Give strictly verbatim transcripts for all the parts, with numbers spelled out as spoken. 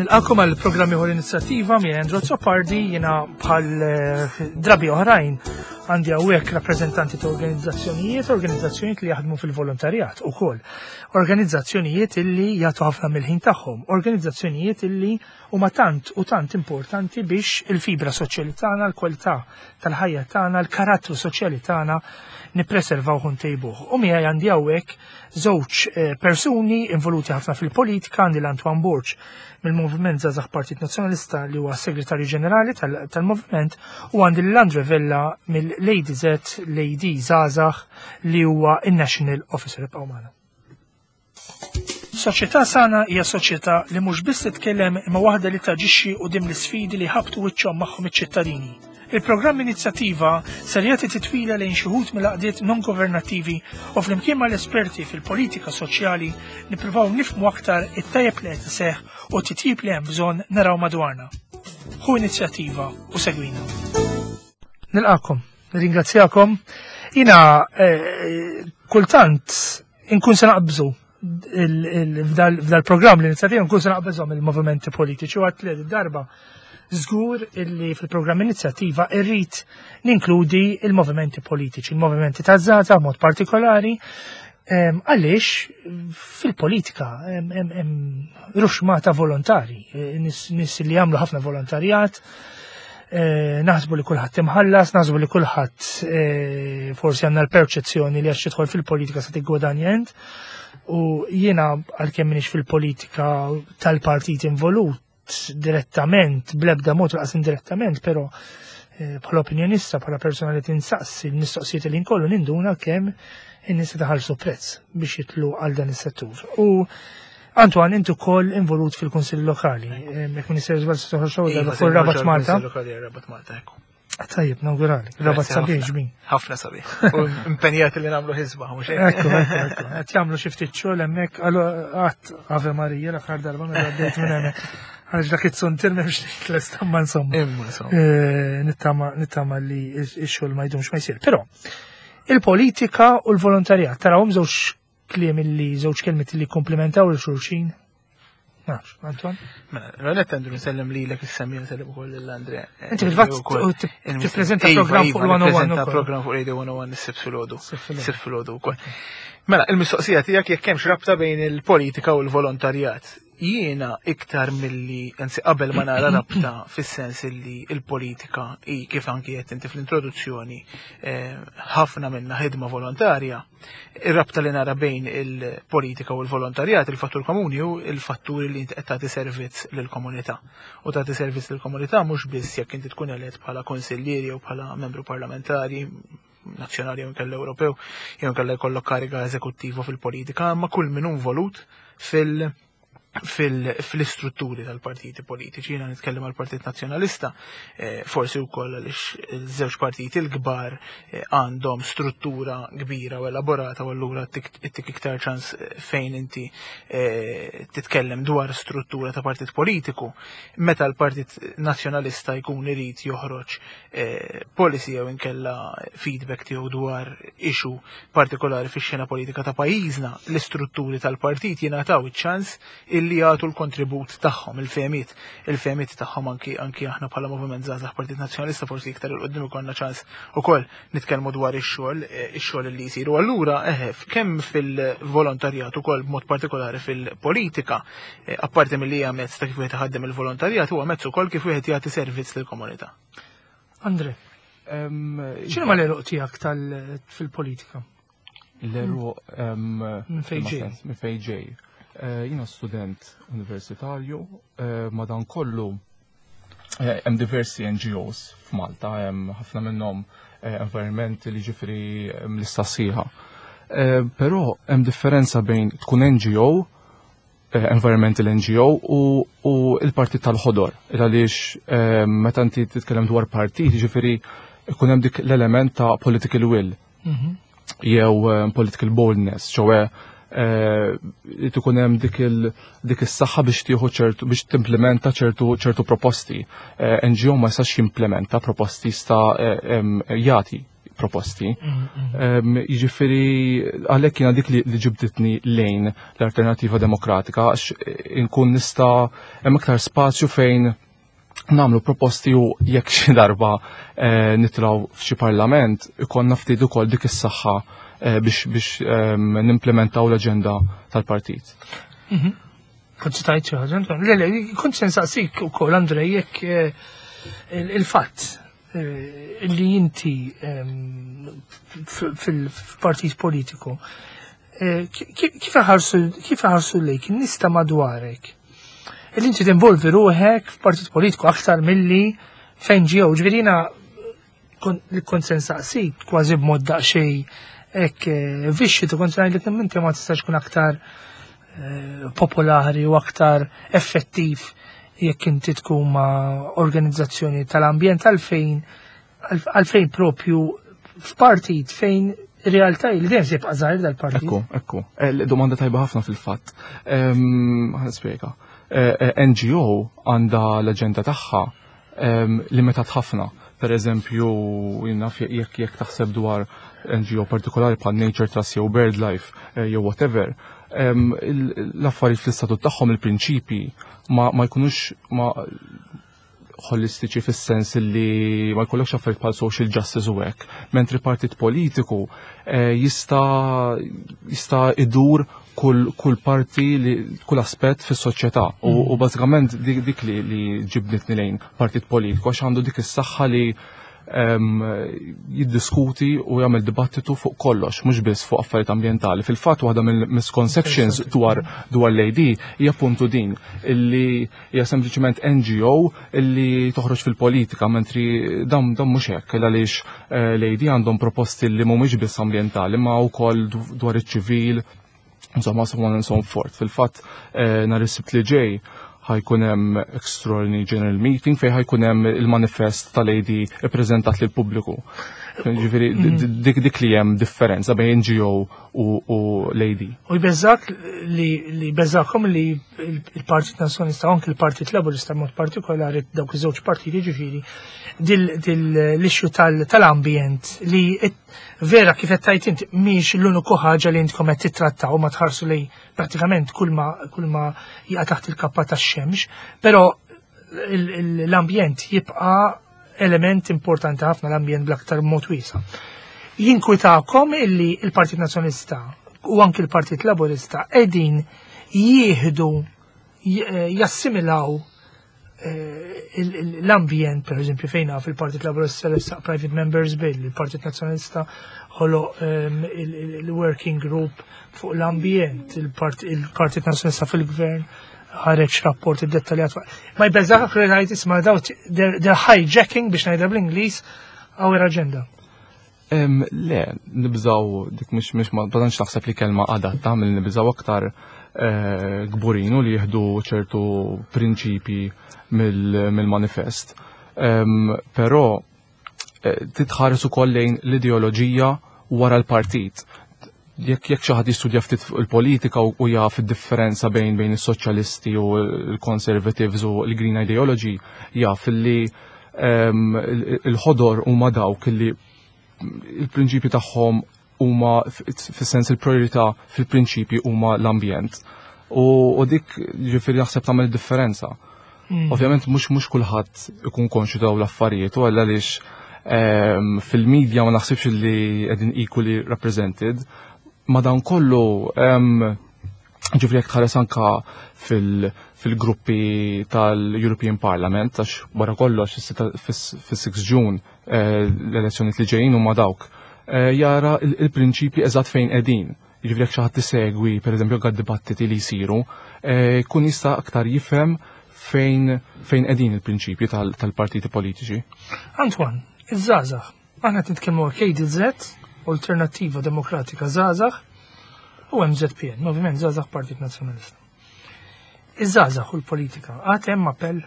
Nilqakom għal programm ieħor Inizjattiva minn Andrew Azzopardi. Jiena bħal eh, drabi oħrajn għandi hawnhekk rappreżentanti ta' organizzazzjonijiet, organizzazzjonijiet li jaħdmu fil-volontarjat ukoll. Organizzazzjonijiet illi jagħtu ħafna mill-ħin tagħhom, organizzazzjonijiet illi huma tant u tant importanti biex il-fibra soċjali tagħna, l-kwalità tal-ħajja tagħna, l-karattru soċjali tagħna nippreservaw u ntejbuh. U miegħi għandi hawnhekk żewġ eh, persuni involuti ħafna fil-politika, għandi l-Antoine Borg mill-Moviment Żgħażagħ Partit Nazzjonalista li huwa Segretarju Ġenerali tal-Moviment u għandi l-Andre Vella mill-A D Z, l-A D Żgħażagħ, li huwa il-National Officer. Ibqgħu magħna. Soċjetà sana hija soċjetà li mhux biss titkellem imma waħda li taġixxi quddiem l-isfidi li ħabtu wiċċhom magħhom iċ-ċittadini. Il-programm Inizjattiva ser jagħti titwila lejn xi wħud mill-għaqdiet non-governattivi u flimkien mal-esperti fil-politika soċjali nippruvaw nifhmu aktar it-tajjeb li qed iseħħ u titjib li hemm bżonn naraw madwarna. Ħu inizjattiva u segwina. Nilqakom, nirringrazzjakom. Jiena eh, kultant inkun se naqbżu f'dal-programm l-Inizjattiva, nkun se naqbeżhom il-movimenti politiċi u għat li darba żgur illi fil-programm Inizjattiva irrid ninkludi il-movimenti politiċi, il-movimenti ta' żgħażagħ mod partikolari, għaliex fil-politika hemm ruxmata volontari, nies li jagħmlu ħafna volontarjat, eh, naħsbu li kulħadd imħallas, naħsbu li kulħadd eh, forsi għandna l-perċezzjoni li għax tidħol fil-politika se tiggwadanja int. U jiena, għalkemm minix fil-politika tal-partit involut direttament, blebda mod laqas indirettament, però eh, bħala opinjonista, bħala persona li tinsaqsi il-mistoqsijiet li nkollu, ninduna kemm in-nies taħallsu prezz biex jitlu għal dan is-settur. U Antoine, intu ukoll involut fil-Kunsill Lokali. Jekk Minister żball se toħroġ Iva, fuq Rabat Malta. Lokali Rabat Malta, ekku. Tajjeb, nawgurali. Rabat Grazzi sabiħ ħafna. ġbin. Ħafna sabiħ. U impenjati li nagħmlu ħizba, mhux hekk? Ekku, ekku, ekku. Qed jagħmlu xi ftit xogħol hemmhekk, għalu qatt Ave Marija l-aħħar darba meta għaddejt minn hemmhekk. Għaliex dak it-suntir m'hemmx tlest, ma insomma. Imma insomma. Eh, Nittama nittama li x-xogħol ma jdumx ma jsir. Però il-politika u l-volontarjat tarawhom żewġ kliem illi żewġ kelmiet li komplementaw il xulxin. Nafx, Antoine? Mela, l-għalet għandu nsellem li l-ek il-semmi, nsellem ukoll l-Andre. Inti fil-fatt tippreżenta programm fuq il-mija u wieħed Iva, ukoll. Program fuq Radio mija u wieħed is-Sibt filgħodu. Sibt filgħodu. Sibt filgħodu wkoll. Mela, il-mistoqsija tiegħek jekk hemmx rabta bejn il-politika u l-volontarjat. Jiena iktar milli, anzi qabel ma nara rabta fis-sens illi il-politika i kif anki qed inti fl-introduzzjoni eh, ħafna minna ħidma volontarja, ir-rabta li nara bejn il-politika u l-volontarjat, il-fattur komuni hu il-fattur li inti qed tagħti servizz lill-komunità. U tagħti servizz lill-komunità mhux biss jekk inti tkun elett bħala konsillieri jew bħala membru parlamentari nazzjonali jew inkella Ewropew, jew inkella jkollok kariga eżekuttiva fil-politika, ma kull min hu involut fil- fil- fil-istrutturi tal-partiti politiċi. Jiena nitkellem għal Partit Nazzjonalista, eh, forsi wkoll għaliex il-żewġ partiti l-kbar eh, għandhom struttura kbira u elaborata u allura ittik iktar ċans eh, fejn inti eh, titkellem dwar struttura ta' partit politiku. Meta l-Partit Nazzjonalista jkun irid joħroġ eh, policy jew inkella feedback tiegħu dwar issue partikolari fix-xena politika ta' pajjiżna, l-istrutturi tal-partit jingħataw iċ-ċans illi jagħtu l-kontribut tagħhom, il-fehmiet, il-fehmiet tagħhom. anki anki aħna bħala Moviment Żgħażagħ Partit Nazzjonalista forsi iktar 'il quddiem ikollna ċans ukoll nitkellmu dwar ix-xogħol, eh, ix-xogħol li jsir. U allura eħe, kemm fil-volontarjat ukoll b'mod partikolari fil-politika, eh, apparti milli hija mezz ta' kif wieħed iħaddem il-volontarjat, huwa mezz ukoll kif wieħed jagħti servizz lill-komunità. Andre, x'inhu ma l-għeruq tiegħek tal fil-politika? L-għeruq Minn fejn ġej? Minn fejn ġej. Eh, Jiena student universitarju, eh, madan kollu eh, hemm diversi N G Os f'Malta, hemm ħafna minnhom eh, environment li ġifri lista sħiħa. Eh, Però hemm differenza bejn tkun N G O, eh, environmental N G O u, u il-partit tal-ħodor. Għaliex eh, meta inti titkellem dwar partit, ġifiri ikun hemm dik l-element ta' political will Mhm. jew eh, political boldness, ċoè eh, li tkun hemm dik il dik is-saħħa biex tieħu ċertu biex timplementa ċertu ċertu proposti. Eh, N G O ma jistax jimplementa proposti, sta eh, em, jagħti proposti. Jiġifieri għalhekk jiena dik li ġibditni lejn l-Alternativa Demokratika, għax inkun nista' hemm iktar spazju fejn nagħmlu proposti u jekk xi darba eh, nitilgħu f'xi parlament ikollna ftit ukoll dik is-saħħa eh, biex biex ehm, nimplementaw l-aġenda tal-partit. Mhm. Kont se tgħid xi ħaġa, Le, le, kont se nsaqsik ukoll, Andrej, jekk eh, il-fatt li inti ehm, fil-partit politiku, kif ħarsu lejk in-nies ta' madwarek li inti tinvolvi ruħek f'partit politiku aktar milli f'N G O? Ġifieri jiena li kont se nsaqsik kważi b'mod daqsxejn hekk eh, vixxi tu kont ngħidlek inti ma tistax tkun aktar eh, popolari u aktar effettiv jekk inti tkun ma' organizzazzjoni tal-ambjent, għalfejn għalfejn propju f'partit fejn realtà li dejjem se jibqa' żgħir dal-partit? Ekku, ekku. Eh, domanda tajba ħafna fil-fatt. Ħa nispjega. Eh, N G O għandha l-aġenda tagħha limitat ħafna. Per eżempju, jekk jekk taħseb dwar N G O partikolari bħal Nature Trust jew BirdLife eh, jew whatever, l-affarijiet fl-istatut tagħhom, il-prinċipi ma, ma jkunux ma holistiċi fis-sens li ma jkollokx affarijiet bħal social justice u hekk, mentri partit politiku eh, jista' jista' idur kull, kull parti li kull aspett fis-soċjetà u, mm. u bażikament dik, dik li, li ġibditni lejn partit politiku, għax għandu dik is-saħħa li um, jiddiskuti u jagħmel dibattitu fuq kollox, mhux biss fuq affarijiet ambjentali. Fil-fatt, waħda mill-misconceptions dwar dwar l-A D hija puntu din illi hija sempliċement N G O illi toħroġ fil-politika, mentri dam dam mhux hekk, għaliex eh, l-A D għandhom proposti li mhumiex biss ambjentali ma wkoll dwar iċ-ċivil, insomma, so on and so forth. Fil-fatt, eh, nhar is-Sibt li ġej ħa jkun hemm extraordinary general meeting fejn ħa jkun hemm il-manifest tal-A D ippreżentat lil pubbliku. Ġifieri mhm. dik dik li hemm differenza bejn N G O u, u l-A D. U jbeżżak li li beżakom li il-Partit Nazzjonalista u anke il-Partit Laburista mod partikolari, dawk iż-żewġ partiti, ġifieri dil-issue tal-ambjent li vera, kif qed tgħid inti, mhix l-uniku ħaġa li intkom qed titrattaw, ma tħarsu li prattikament kull ma kull ma jaqa' taħt il-kappa tax-xemx, però l-ambjent jibqa' element importanti ħafna, l-ambjent bl-aktar mod wiesa'. Jinkwitakom illi il-Partit Nazzjonalista u anki il-Partit Laburista qegħdin jieħdu, jassimilaw eh, l-ambjent, per eżempju, fejna fil-Partit Laburista l Private Members Bill, il-Partit Nazzjonalista ħolo ehm, il-Working Group fuq l-ambjent, il-Partit Nazzjonalista fil-Gvern ħareġ rapport dettaljat. Ma jbeżżakx li ngħid, isma', daw they're hijacking, biex ngħidha bl-Ingliż, our agenda? Le, nibżaw dik mhux mhux ma tantx naħseb li kelma adatta, mill nibżaw, aktar eh, kburinu li jieħdu ċertu prinċipi mill-manifest. Però eh, titħares ukoll lejn l-ideoloġija wara l-partit. Jekk jekk xi ħadd jistudja ftit fuq il-politika u jaf id-differenza bejn bejn is-soċjalisti u l-conservatives u l-green ideology, jaf li il-ħodor huma dawk li il-prinċipi tagħhom huma, fis-sens il-priorità fil-prinċipi huma l-ambjent. U dik ġifieri naħseb tagħmel differenza. Mm. Ovvjament mhux mhux kulħadd ikun konxju daw l-affarijiet u għaliex fil-medja ma naħsibx li qegħdin equally represented. Ma dan kollu, ġifieri jekk tħares anka fil-gruppi tal-European Parliament, għax wara kollox fis-six June eh, l-elezzjoni li ġejjin huma dawk, eh, jara il-prinċipi eżatt fejn qegħdin. Ġifieri jekk xi ħadd tisegwi, pereżempju, għad dibattiti li jsiru, eh, kun jista' aktar jifhem fejn fejn qegħdin il-prinċipji tal-partiti politiċi. Antoine, iż-żgħażagħ, aħna nitkellmu K D Z, Alternattiva Demokratika Żgħażagħ, u M Z P N, Moviment Żgħażagħ Partit Nazzjonalista. Iż-żgħażagħ u l-politika, għad hemm appell?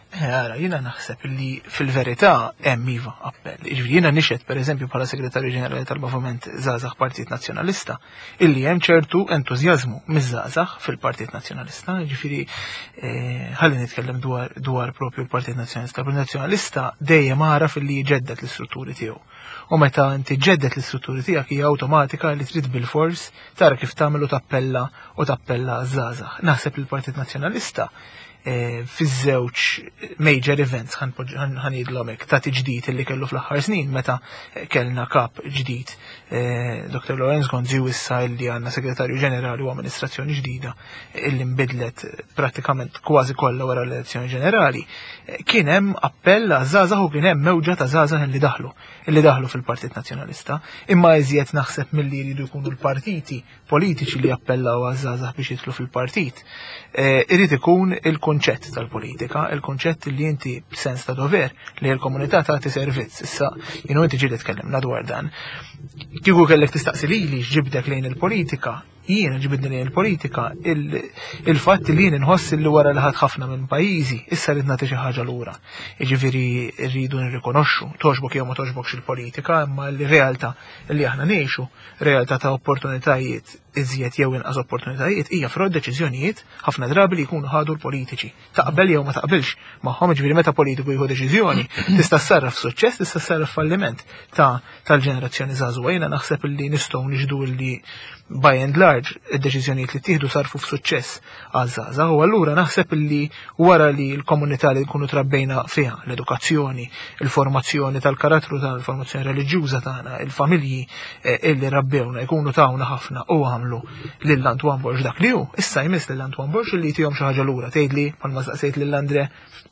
Ara, jiena naħseb li fil-verità hemm iva appell. Jiġifieri jiena nixhed, pereżempju, bħala segretarju ġenerali tal-Moviment Żgħażagħ Partit Nazzjonalista, illi hemm ċertu entużjażmu miż-żgħażagħ fil-Partit Nazzjonalista. Jiġifieri eh, ħalli nitkellem dwar dwar propju l-Partit Nazzjonalista. Il-Partit Nazzjonalista dejjem għaraf illi jġedded l-istrutturi tiegħu. U meta inti ġġedded l-istrutturi tiegħek, hija awtomatika li trid bil-fors tara kif tagħmel u tappella u tappella żgħażagħ. Naħseb li l-Partit Nazzjonalista eh, fiż-żewġ major events, ħa ngħidlhom hekk, ta' tiġdid illi kellu fl-aħħar snin, meta kellna kap ġdid, eh, Doktor Lawrence Gonzi, u issa illi għandna segretarju ġenerali u amministrazzjoni ġdida illi nbidlet prattikament kważi kollha wara l-elezzjoni ġenerali, eh, kien hemm appell għaż-żgħażagħ u kien hemm mewġa ta' żgħażagħ illi daħlu illi daħlu fil-Partit Nazzjonalista. Imma iżjed naħseb milli jridu jkunu l-partiti politiċi li appellaw għaż-żgħażagħ biex jidħlu fil-partit, Eh, irid ikun il-konċett tal-politika, il-konċett li inti b'sens ta' dover li l-komunità tagħti servizz. Issa, jien u inti ġieli tkellimna dwar dan. Kieku kellek tistaqsi lili x'ġibdek lejn il-politika, jiena ġibidni lejn il-politika il-fatt li jien inħoss li wara li ħadt ħafna minn pajjiżi, issa rrid nagħti xi ħaġa lura. Jiġifieri rridu nirrikonoxxu, togħġbok jew ma togħġbokx il-politika, imma l-realtà li aħna ngħixu, realtà ta' opportunitajiet iżjed jew inqas opportunitajiet, hija frott deċiżjonijiet ħafna drabi li jkunu ħadu l-politiċi. Taqbel jew ma taqbilx magħhom, ġifieri meta politiku jieħu deċiżjoni, tista' ssarraf suċċess, tista' ssarraf falliment ta' tal-ġenerazzjoni żagħżugħa. Jiena naħseb li nistgħu nixhdu li by and large id-deċiżjonijiet li ttieħdu sarfu f'suċċess għaż-żgħażagħ, u allura naħseb li wara li l-komunità li nkunu trabbejna fiha, l-edukazzjoni, il-formazzjoni tal-karattru tal-formazzjoni reliġjuża tagħna, il-familji eh, illi rabbewna jkunu tawna ħafna u għamlu lil Antoine Borg dak li hu, issa jmiss lil Antoine Borg li jtihom xi ħaġa lura. Tgħidli, bħalma staqsejt lil Andre,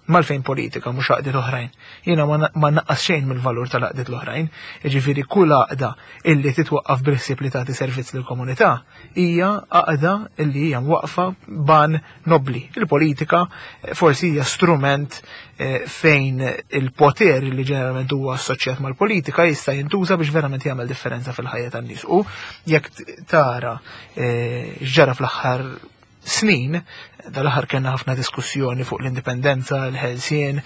għalfejn politika mhux għaqdiet oħrajn? Jiena ma naqqas xejn mill-valur tal-għaqdiet l-oħrajn, jiġifieri kull għaqda illi titwaqqaf bil-ħsieb li tagħti servizz lill-komunità hija għaqda illi hija mwaqfa b'għan nobli. Il-politika forsi hija strument eh, fejn il-poter li ġeneralment huwa assoċjat mal-politika jista' jintuża biex verament jagħmel differenza fil-ħajja tan-nies. U jekk tara eh, x'ġara fl-aħħar snin, dal-aħħar kellna ħafna diskussjoni fuq l-indipendenza, l-ħelsien,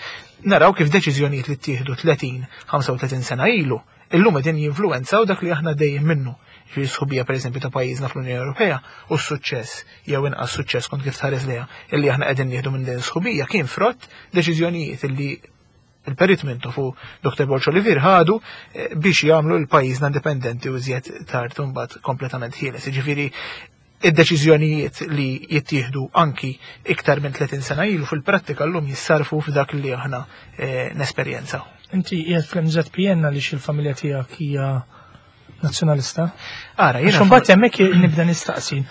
naraw kif deċiżjonijiet li ttieħdu tletin, ħamsa u tletin sena ilu, illum qegħdin jinfluwenzaw dak li aħna dejjem minnu. Fi sħubija, pereżempju, ta' pajjiżna fl-Unjoni Ewropea u s-suċċess jew inqas suċċess, kont kif tħares lejha, illi aħna qegħdin nieħdu minn din sħubija kien frott deċiżjonijiet illi il-Perit Mintoff u Doktor Borg Olivier ħadu eh, biex jagħmlu l-pajjiżna indipendenti u iżjed tard mbagħad kompletament ħieles. Jiġifieri id-deċiżjonijiet li jittieħdu anki iktar minn tletin sena ilu fil-prattika llum jissarfu f'dak li aħna eh, nesperjenzaw. Inti qiegħed fl-M Z P N għaliex il-familja tiegħek hija nazzjonalista? Ara, jiena Għax imbagħad hemmhekk nibda nistaqsi.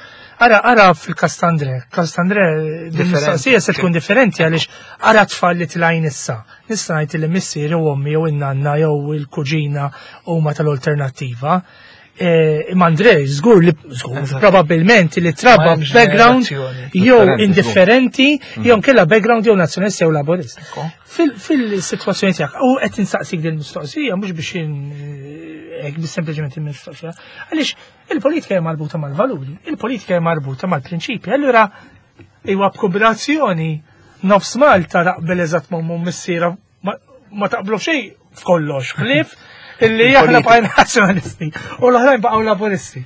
Ara, ara fil-kas t'Andre, kas t'Andre Differenti. mistoqsija se tkun differenti, għaliex ara tfal li tlajn issa. Nista' ngħid li missieri u ommi jew in-nanna jew il-kuġina huma tal-alternattiva. Eh, Imma Andre, żgur li żgur, Eżatt. probabbilment li trabba Ma hemmx background ġenerazzjoni. jew Differenti, indifferenti jew nkella background jew nazzjonalista jew laburist. Ekku. Fil-situazzjoni tiegħek, u qed insaqsik din mistoqsija mhux biex hekk, biss sempliċement il-mistoqsija, għaliex il-politika hija marbuta mal-valuri, il-politika hija marbuta mal-prinċipi. Allura huwa b'kombinazzjoni nofs Malta taqbel eżatt ma' missiera ma ma taqblu xejn f'kollox, ħlief illi aħna Il-politika. bqajna nazzjonalisti u l-oħrajn baqgħu laburisti.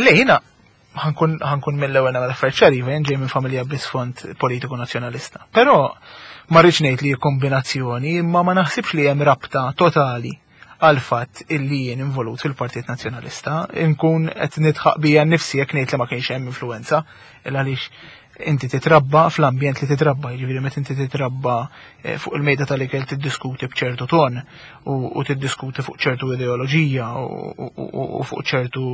Le, jiena ħa nkun ħa nkun mill-ewwel nagħmel affarijiet ċari, jien ġej minn familja b'isfond politiku nazzjonalista. Però ma rridx ngħid li kombinazzjoni, imma ma naħsibx li hemm rabta totali għal fatt illi jien involut fil-Partit Nazzjonalista. Inkun qed nidħaq bija nnifsi jekk ngħid li ma kienx hemm influenza, il għaliex inti titrabba fl-ambjent li titrabba, jiġifieri meta inti titrabba eh, fuq il-mejda tal-ikel tiddiskuti b'ċertu ton u, u tiddiskuti fuq ċertu ideoloġija u, u, u, u fuq ċertu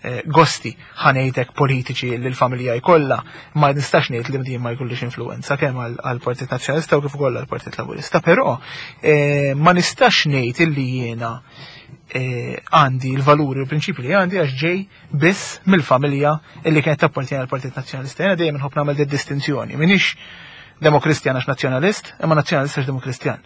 eh, gosti, ħa ngħidlek, politiċi li l-familja jkollha, ma nistax ngħid li din ma jkollix influenza kemm għall-Partit Nazzjonalista u kif ukoll għall-Partit Laburista, però eh, ma nistax ngħid illi jiena eh, għandi l-valuri u l-prinċipi li għandi għax ġej biss mill-familja illi kienet tappartieni għall-Partit Nazzjonalista. Jiena dejjem nħobb nagħmel distinzjoni. Minix Demokristjan għax nazzjonalist, imma nazzjonalist għax demokristjan.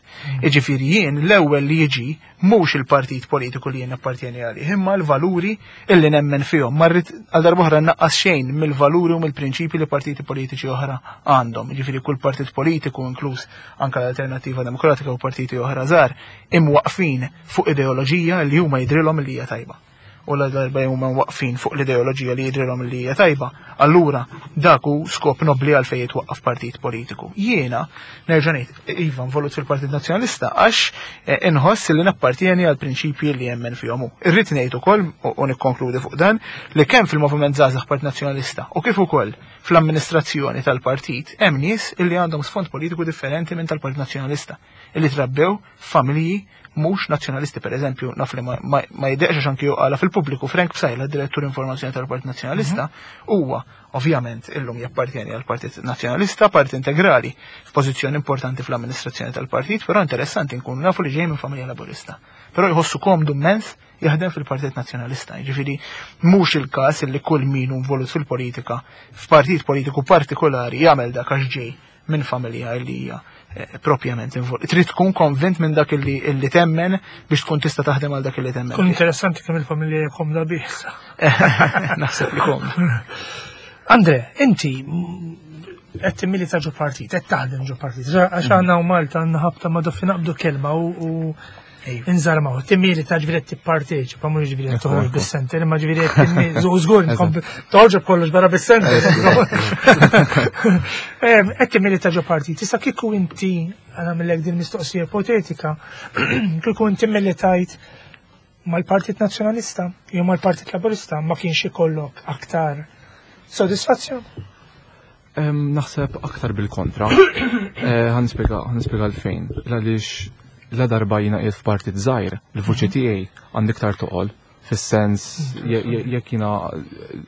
Iġifieri jien l-ewwel li jiġi mhux il-partit politiku li jien appartjeni għalih, imma l-valuri illi nemmen fihom. Ma rrid għal darb'oħra naqqas xejn mill-valuri u mill-prinċipi li partiti politiċi oħra għandhom. Jiġifieri kull partit politiku, inkluż anke l-Alternattiva Demokratika u partiti oħra żgħar, imwaqfin fuq ideoloġija li huma jidrilhom li hija tajba. U la darba huma waqfin fuq l-ideoloġija li jidrilhom li hija tajba, allura dak hu skop nobli għal fejn jitwaqqaf partit politiku. Jiena nerġa' ngħid, iva, involut fil-Partit Nazzjonalista għax eh, inħoss li nappartieni għal prinċipji li jemmen fihom hu. Irrid ngħid ukoll u nikkonkludi fuq dan li kemm fil-Moviment Żgħażagħ Partit Nazzjonalista u kif ukoll fl-amministrazzjoni tal-partit hemm nies illi għandhom sfond politiku differenti minn tal-Partit Nazzjonalista, illi trabbew familji mhux nazzjonalisti. Per eżempju, naf li ma, ma, ma jiddeqx anki għala fil-pubbliku, Frank Psaila, direttur informazzjoni tal-Partit Nazzjonalista, huwa ovvjament illum jappartjeni għal Partit Nazzjonalista, parti integrali f'pożizzjoni importanti fl-amministrazzjoni tal-partit, però interessanti nkunu nafu li ġej minn familja laburista. Però jħossu komdu immens jaħdem fil-Partit Nazzjonalista. Ġifieri mhux il-każ li kull min hu involut fil-politika f'partit politiku partikolari jagħmel dak għax ġej minn familja li hija eh, propjament involut. Trid tkun konvint minn dak illi, illi temmen biex tkun tista' taħdem għal dak illi temmen. Kun interessanti kemm il-familja hija komda bih. Naħseb li komdu. Andre, inti qed timmilita ġo partit, qed taħdem ġo partit. Għax għandna u Malta għandna ħabta ma doffi naqbdu kelma u u nżarmaw. Timmilita ġifieri qed tipparteċipa, mhux ġifieri qed toħroġ bis-center, imma ġifieri qed timmilita, u żgur toħroġ kollox barra bis-center. Qed timmilita ġo partit. Issa kieku inti, għamillek din mistoqsija ipotetika, kieku inti militajt mal-Partit Nazzjonalista jew mal-Partit Laburista, ma kienx ikollok aktar sodisfazzjon? Em, Naħseb aktar bil-kontra. Eh, Ħa nispjega ħa nispjega għalfejn. Għaliex la darba jiena qiegħed f'partit żgħir, il-vuċi tiegħi għandi iktar toqol, fis-sens je- je- jekk jiena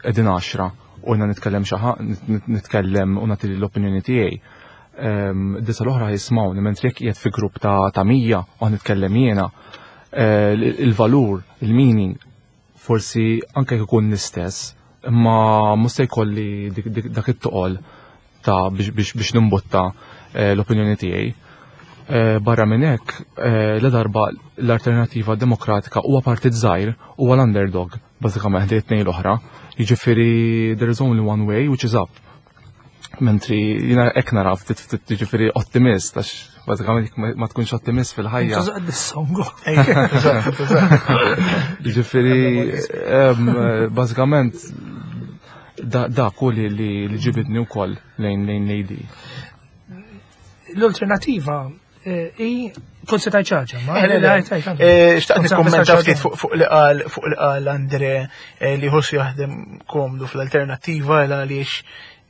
qegħdin għaxra u jiena nitkellem xi ħa- nit- nitkellem u nagħti l-opinjoni tiegħi. Em, Disa l-oħra jismawni, mentri jekk qiegħed fi grupp ta' ta' mija u ħa nitkellem jiena, eh, il-valur, il-meaning, forsi anke jekk ikun l-istess, imma mhux se jkolli dik- dik- dak it-toqol ta' biex, biex, biex nimbutta eh, l-opinjoni tiegħi. Eh, Barra minn hekk, eh, la darba l-Alternativa Demokratika huwa partit żgħir, huwa l-underdog, bażikament li t-tnejn l-oħra. Jiġifieri there is only one way, which is up. Mentri jiena hekk nara ftit ftit, jiġifieri ottimist, għax bażikament jekk ma- ma tkunx ottimist fil-ħajja. Tużaq dis-songu. Ġifieri, em, bażikament da dak hu li li li ġibidni wkoll lejn lejn l-A D. L-alternativa eh, i kont se tajt ċaġa, ma? Eh, le, le. Tajt, tajt, Eh, Xtaqt Kont se nikkommenta ċaġa. ftit fuq fuq li qal fuq li qal Andre eh, li ħossu jaħdem komdu fl-Alternattiva għal għaliex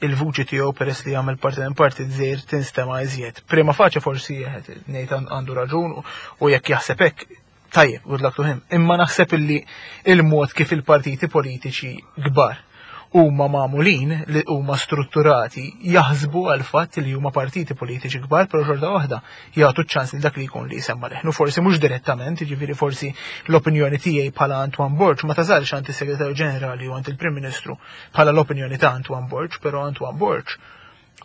il-vuċi tiegħu, peress li jagħmel parti minn parti żgħir, tinstema' iżjed. Prima facie forsi jeħed ngħid għandu raġun u- u jekk jaħseb hekk tajjeb, good luck to him. Imma naħseb illi il-mod kif il-partiti politiċi kbar huma magħmulin, li huma strutturati, jaħsbu għal fatt li huma partiti politiċi kbar, però xorta waħda jagħtu ċans li dak li jkun li jsemma leħnu, forsi mhux direttament, jiġifieri forsi l-opinjoni tiegħi bħala Antoine Borg ma tasalx għand is-Segretarju Ġenerali u għand il-Prim Ministru bħala l-opinjoni ta' Antoine Borg, però Antoine Borg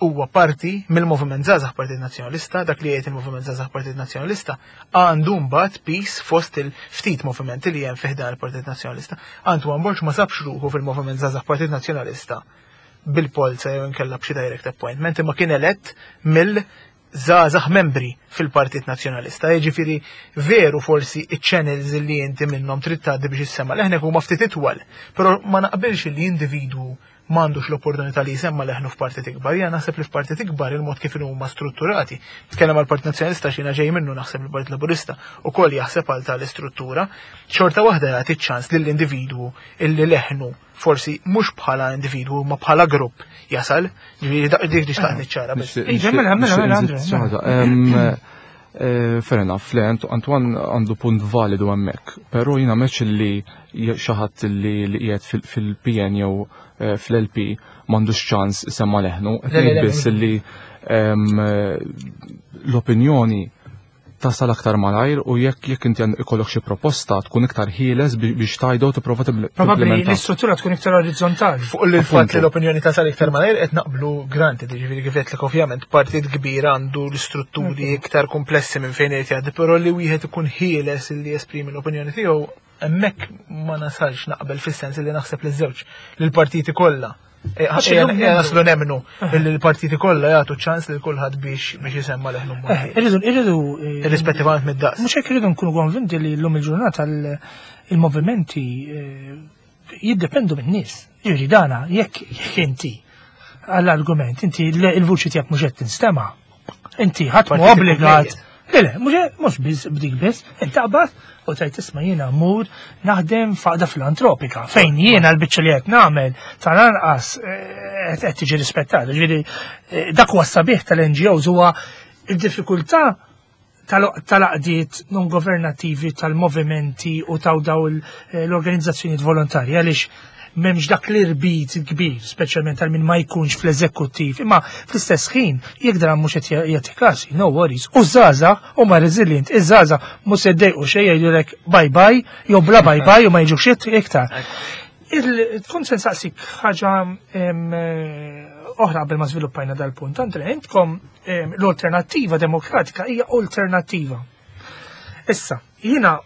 huwa parti mill-Moviment Żgħażagħ Partit Nazzjonalista. Dak li jgħid il-Moviment Żgħażagħ Partit Nazzjonalista għandu mbagħad piż fost il-ftit movimenti li hemm fih dan il-Partit Nazzjonalista. Antoine Borg ma sabx ruħu fil-Moviment Żgħażagħ Partit Nazzjonalista bil-polza jew inkella b'xi direct appointment, imma kien elett mill żgħażagħ membri fil-Partit Nazzjonalista. Jiġifieri veru forsi iċ-channels li inti minnhom trid tgħaddi biex issemma leħnek huma ftit itwal, però ma naqbilx li individwu m'għandux l-opportunità li jsemma leħnu f'partit ikbar. Jien naħseb li f'partit ikbar il-mod kif huma strutturati. Tkellem għal Partit Nazzjonalista xina ġej minnu, naħseb il-Partit Laburista ukoll jaħseb għal tal-istruttura. Xorta waħda jagħti ċans lill-individwu illi leħnu forsi mhux bħala individwu ma bħala grupp jasal. Ġifieri dak dik li xtaqt niċċara biss. Iġa, mela, mela, mela, Andre, Nixtieq nżid xi ħaġa. Em, eh, Fair enough, le, Ant- Antoine għandu punt validu hemmhekk, però jiena meċ li xi ħadd li li qiegħed fil- fil-P N jew eh, fl-L P m'għandux ċans isemma leħnu, qed Le, le, ngħid le, biss li em, eh, l-opinjoni Tasal aktar malajr u jekk jekk inti ikollok xi proposta tkun iktar ħieles biex tgħidu tipprova. Probabbli l-istruttura tkun iktar orizzontali. Fuq il-fatt li l-opinjoni tasal iktar malajr qed naqblu, granted, ġifieri kif qed ovvjament partit kbir għandu l-istrutturi iktar komplessi minn fejn irid jgħaddi, però li wieħed ikun ħieles li jesprimi l-opinjoni tiegħu, hemmhekk ma nasalx naqbel, fis-sens li naħseb li żewġ li l-partiti kollha eh, naslu nemmnu li l-partiti kollha jagħtu ċans lil kulħadd biex biex jisemma leħnu. Eh, irridu irridu eh, irrispettivament mid-daqs. Mhux hekk, irridu nkunu konvinti li llum il-ġurnata il-movimenti jiddependu min-nies. Jiġri dana jekk jekk inti għall-argument, inti il-vuċi tiegħek mhux qed tinstema'. Inti ħadd mhu obbligat. Le, le, mhux biss b'dik biss, inti taqbad u tgħid, "Isma', jiena mmur naħdem f'għaqda filantropika fejn jiena l-biċċa li qed nagħmel tal-anqas eh, qed tiġi rispettata." Ġifieri eh, dak huwa sabiħ tal-N G Os, huwa il-diffikultà tal-għaqdiet non governativi, tal-movimenti u taw daw eh, l-organizzazzjonijiet volontarji, għaliex m'hemmx dak l-irbit kbir, speċjalment għal min ma jkunx fl-eżekuttiv, imma fl-istess ħin, jekk dan mhux qed jagħti kasi, no worries. U żgħażagħ huma resilient, iż-żgħażagħ mhux se ddejqu xejn, jgħidulek bye bye, jew bla bye bye u ma jiġux iktar. Kont se nsaqsik ħaġa oħra qabel ma żviluppajna dal-punt. Andre, intkom l-Alternattiva Demokratika hija alternattiva. Issa, jiena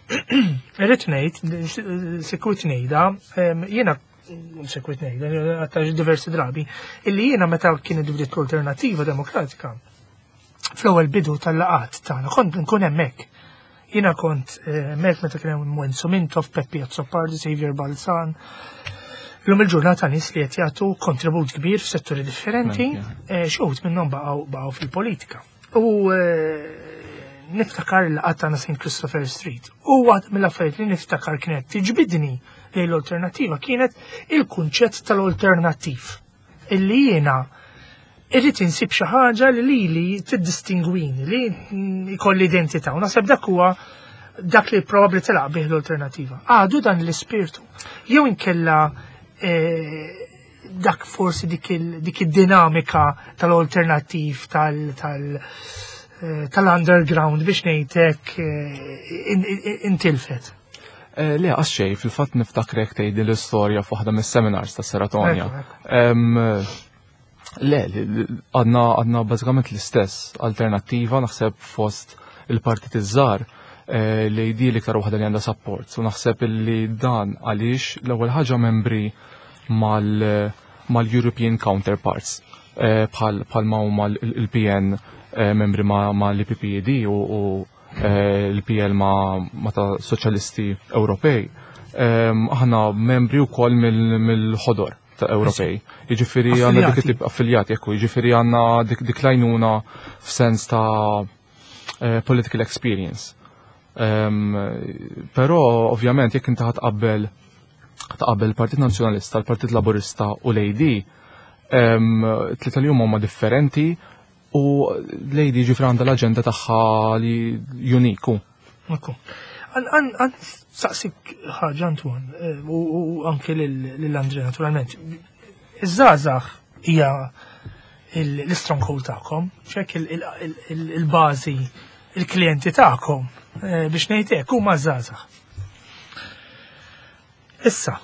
irrid ngħid, sikwit ngħidha, jiena sikwit ngħidha, għatta diversi drabi, illi jiena meta kienet bdiet l-Alternattiva Demokratika, fl-ewwel bidu tal-laqat tagħna kont nkun hemmhekk. Jiena kont hemmhekk meta kien hemm Wenzu Mintoff, Peppi Azzopardi, Xavier Balzan. Illum il-ġurnata nies li qed jagħtu kontribut kbir f'setturi differenti, xi wħud minnhom baqgħu baqgħu fil-politika. U niftakar il-laqgħat tagħna Saint Christopher Street. U waħda mill-affarijiet li niftakar kienet tiġbidni lejn l-Alternattiva kienet il-kunċett tal-alternattiv. Illi jiena irrid insib xi ħaġa li lili tiddistingwini, li jkolli identità. U naħseb dak huwa dak li probabbli telaq bih l-Alternattiva. Għadu dan l-ispirtu. Jew inkella eh, dak forsi dik id-dinamika tal-alternattiv tal-, tal eh, tal-underground biex ngħidlek eh, intilfet? Le, għax xej, fil-fatt niftakrek tgħidi l-istorja f'waħda mis-seminars ta' Seratonja. Le, għadna għadna bażikament l-istess Alternattiva. Naħseb fost il-partit iż-żgħar li di l-iktar waħda li għandha support. U naħseb li dan għaliex l-ewwel ħaġa membri mal-European counterparts bħal ma huma l-P N membri ma l-P P E D u l-P L ma ta' Soċjalisti Ewropej. Aħna membri wkoll mill-Ħodor ta' Ewropej. Jiġifieri għandna dik it-tip affiljati, ekku, jiġifieri għandna dik dik l-għajnuna f'sens ta' political experience. Però ovvjament jekk inti tqabbel tqabbel il-Partit Nazzjonalista, l-Partit Laburista u l-A D, tlieta li huma differenti u l-A D ġifri għandha l-aġenda tagħha li uniku. Ekku. Għan saqsik ħaġa, Antoine, eh, u anke l-Andre naturalment. Iż-żgħażagħ hija l-stronghold tagħkom, ċek il-bażi, il-klijenti tagħkom, eh, biex ngħidlek, huma żgħażagħ. Issa,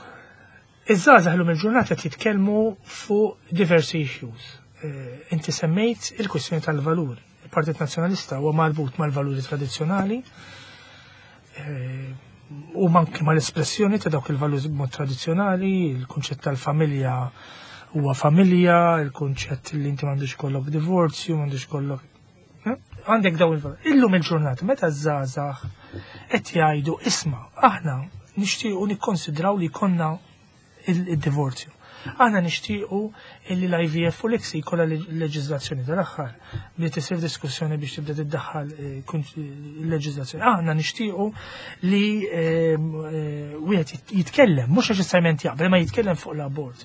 iż-żgħażagħ llum il-ġurnata jitkellmu fuq diversi issues. Eh, inti semmejt il-kwistjoni tal-valur. Il-Partit Nazzjonalista huwa marbut mal-valuri tradizzjonali eh, u anke mal-espressjoni ta' dawk il-valuri b'mod tradizzjonali, il-kunċett tal-familja huwa familja, il-kunċett li inti m'għandux kollok divorzju, m'għandux kollok eh? Għandek daw il-valuri. Illum il-ġurnata meta żgħażagħ qed jgħidu, "Isma', aħna nixtiequ nikkonsidraw li konna il-divorzju. Aħna nixtiequ illi l-I V F u l-I C S I jkollha leġiżlazzjoni", tal-aħħar li tisir diskussjoni biex tibda tiddaħħal eh, il-leġiżlazzjoni. "Aħna nixtiequ li ehm, eh, wieħed jitkellem, mhux neċessarjament jaqbel, ma jitkellem fuq l-abort",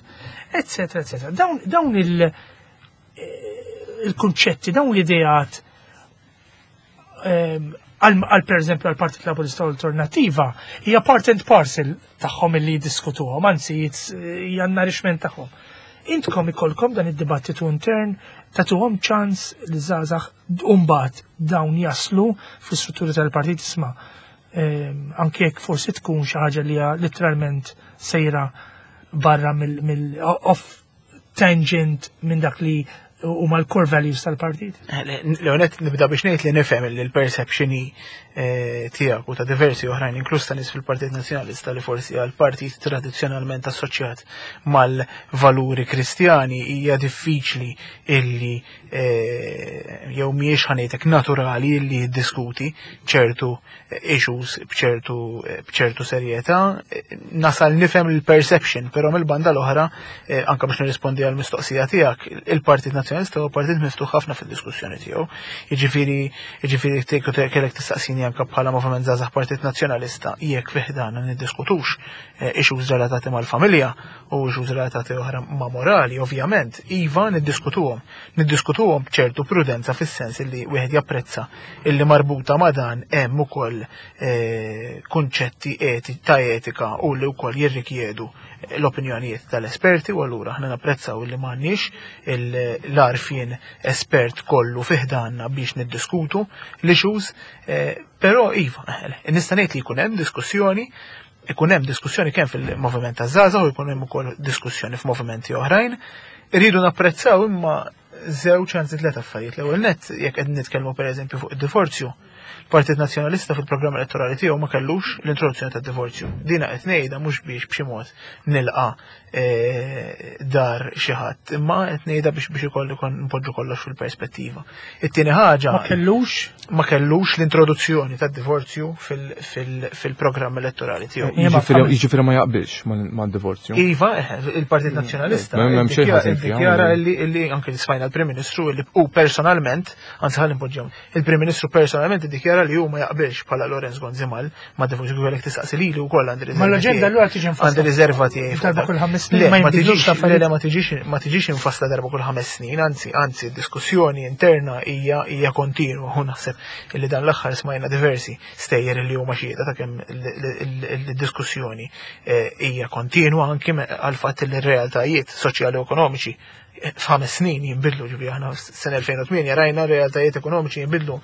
eccetera, eccetera. Dawn il- eh, il-kunċetti, dawn l-ideat ehm, għal per eżempju għal Partit Laburista Alternattiva hija part and parcel tagħhom illi jiddiskutuhom, anzi hija nourishment tagħhom. Intkom ikolkom dan id-dibattitu intern, tagħtuhom ċans li żgħażagħ mbagħad dawn jaslu fl-istruttura tal-partit, isma', ehm, anke jekk forsi tkun xi ħaġa li hija literalment sejra barra mill off tangent minn dak li huma l-core values tal-partit? Leonet, nibda biex ngħid li nifhem li l-perception eh, tiegħek u ta' diversi oħrajn, inkluż ta' nies fil-Partit Nazzjonalista, li forsi għal partit tradizzjonalment assoċjat mal-valuri kristjani hija diffiċli illi eh, jew mhijiex, ħa ngħidlek, naturali illi jiddiskuti ċertu issues bċertu bċertu serjetà. Nasal nifhem il-perception, però mill-banda l-oħra, eh, anke biex nirrispondi għal mistoqsija tiegħek, il-Partit Nazzjonalista huwa partit miftuħ ħafna fid-diskussjoni tiegħu. Jiġifieri jiġifieri kellek tistaqsini anke bħala Moviment Żgħażagħ Partit Nazzjonalista jekk fi ħdana niddiskutux eh, issues relatati mal-familja u issues relatati oħra ma' morali, ovvjament, iva, niddiskutuhom. Niddiskutuhom b'ċertu prudenza, fis-sens illi wieħed japprezza illi marbuta ma' dan hemm ukoll eh, kunċetti ta' etika u li wkoll jirrikjedu l-opinjonijiet tal-esperti, u allura aħna napprezzaw li m'għandniex l-għarfien espert kollu fi ħdanna biex niddiskutu l-issues, eh, però iva, nista' ngħid li jkun hemm diskussjoni, ikun hemm diskussjoni kemm fil-moviment ta' żgħażagħ u jkun hemm ukoll diskussjoni f'movimenti oħrajn. Irridu napprezzaw imma żewġ, anzi tliet affarijiet. L-ewwel nett, jekk qed nitkellmu pereżempju fuq id-divorzju, Partit Nazzjonalista fil-programm elettorali tiegħu ma kellux l-introduzzjoni tad-divorzju. Dina qed ngħidha mhux biex b'xi mod nilqa eh, dar xi ħadd, imma qed ngħidha biex biex ikolli kon npoġġu kollox fil-perspettiva. It-tieni ħaġa Ma kellux? Ma kellux l-introduzzjoni tad-divorzju fil-programm elettorali tiegħu. Jiġifieri ma jaqbilx mad-divorzju. Iva, eh, il-Partit Nazzjonalista iddikjara illi anke smajna l-Prim Ministru illi u personalment, anzi ħalli npoġġew, il-Prim Ministru personalment iddikjara li hu ma jaqbilx bħala Lawrence Gonzi mal ma divorzju. Kellek tistaqsi lili wkoll għandi riserva. Ma l-aġenda allura tiġi infassla. Għandi riserva tiegħi. Darba kull ħames snin? Ma tiġix, le, ma tiġix ma tiġix infassla darba kull ħames snin, anzi anzi diskussjoni interna hija hija kontinwa u naħseb illi dan l-aħħar smajna diversi stejjer li huma xhieda ta' kemm il-diskussjoni eh, hija kontinwa, anki għal fatt li r-realtajiet soċjali u ekonomiċi eh, f'ħames snin jinbidlu. Ġifieri aħna sena elfejn u tmienja rajna realtajiet ekonomiċi jinbidlu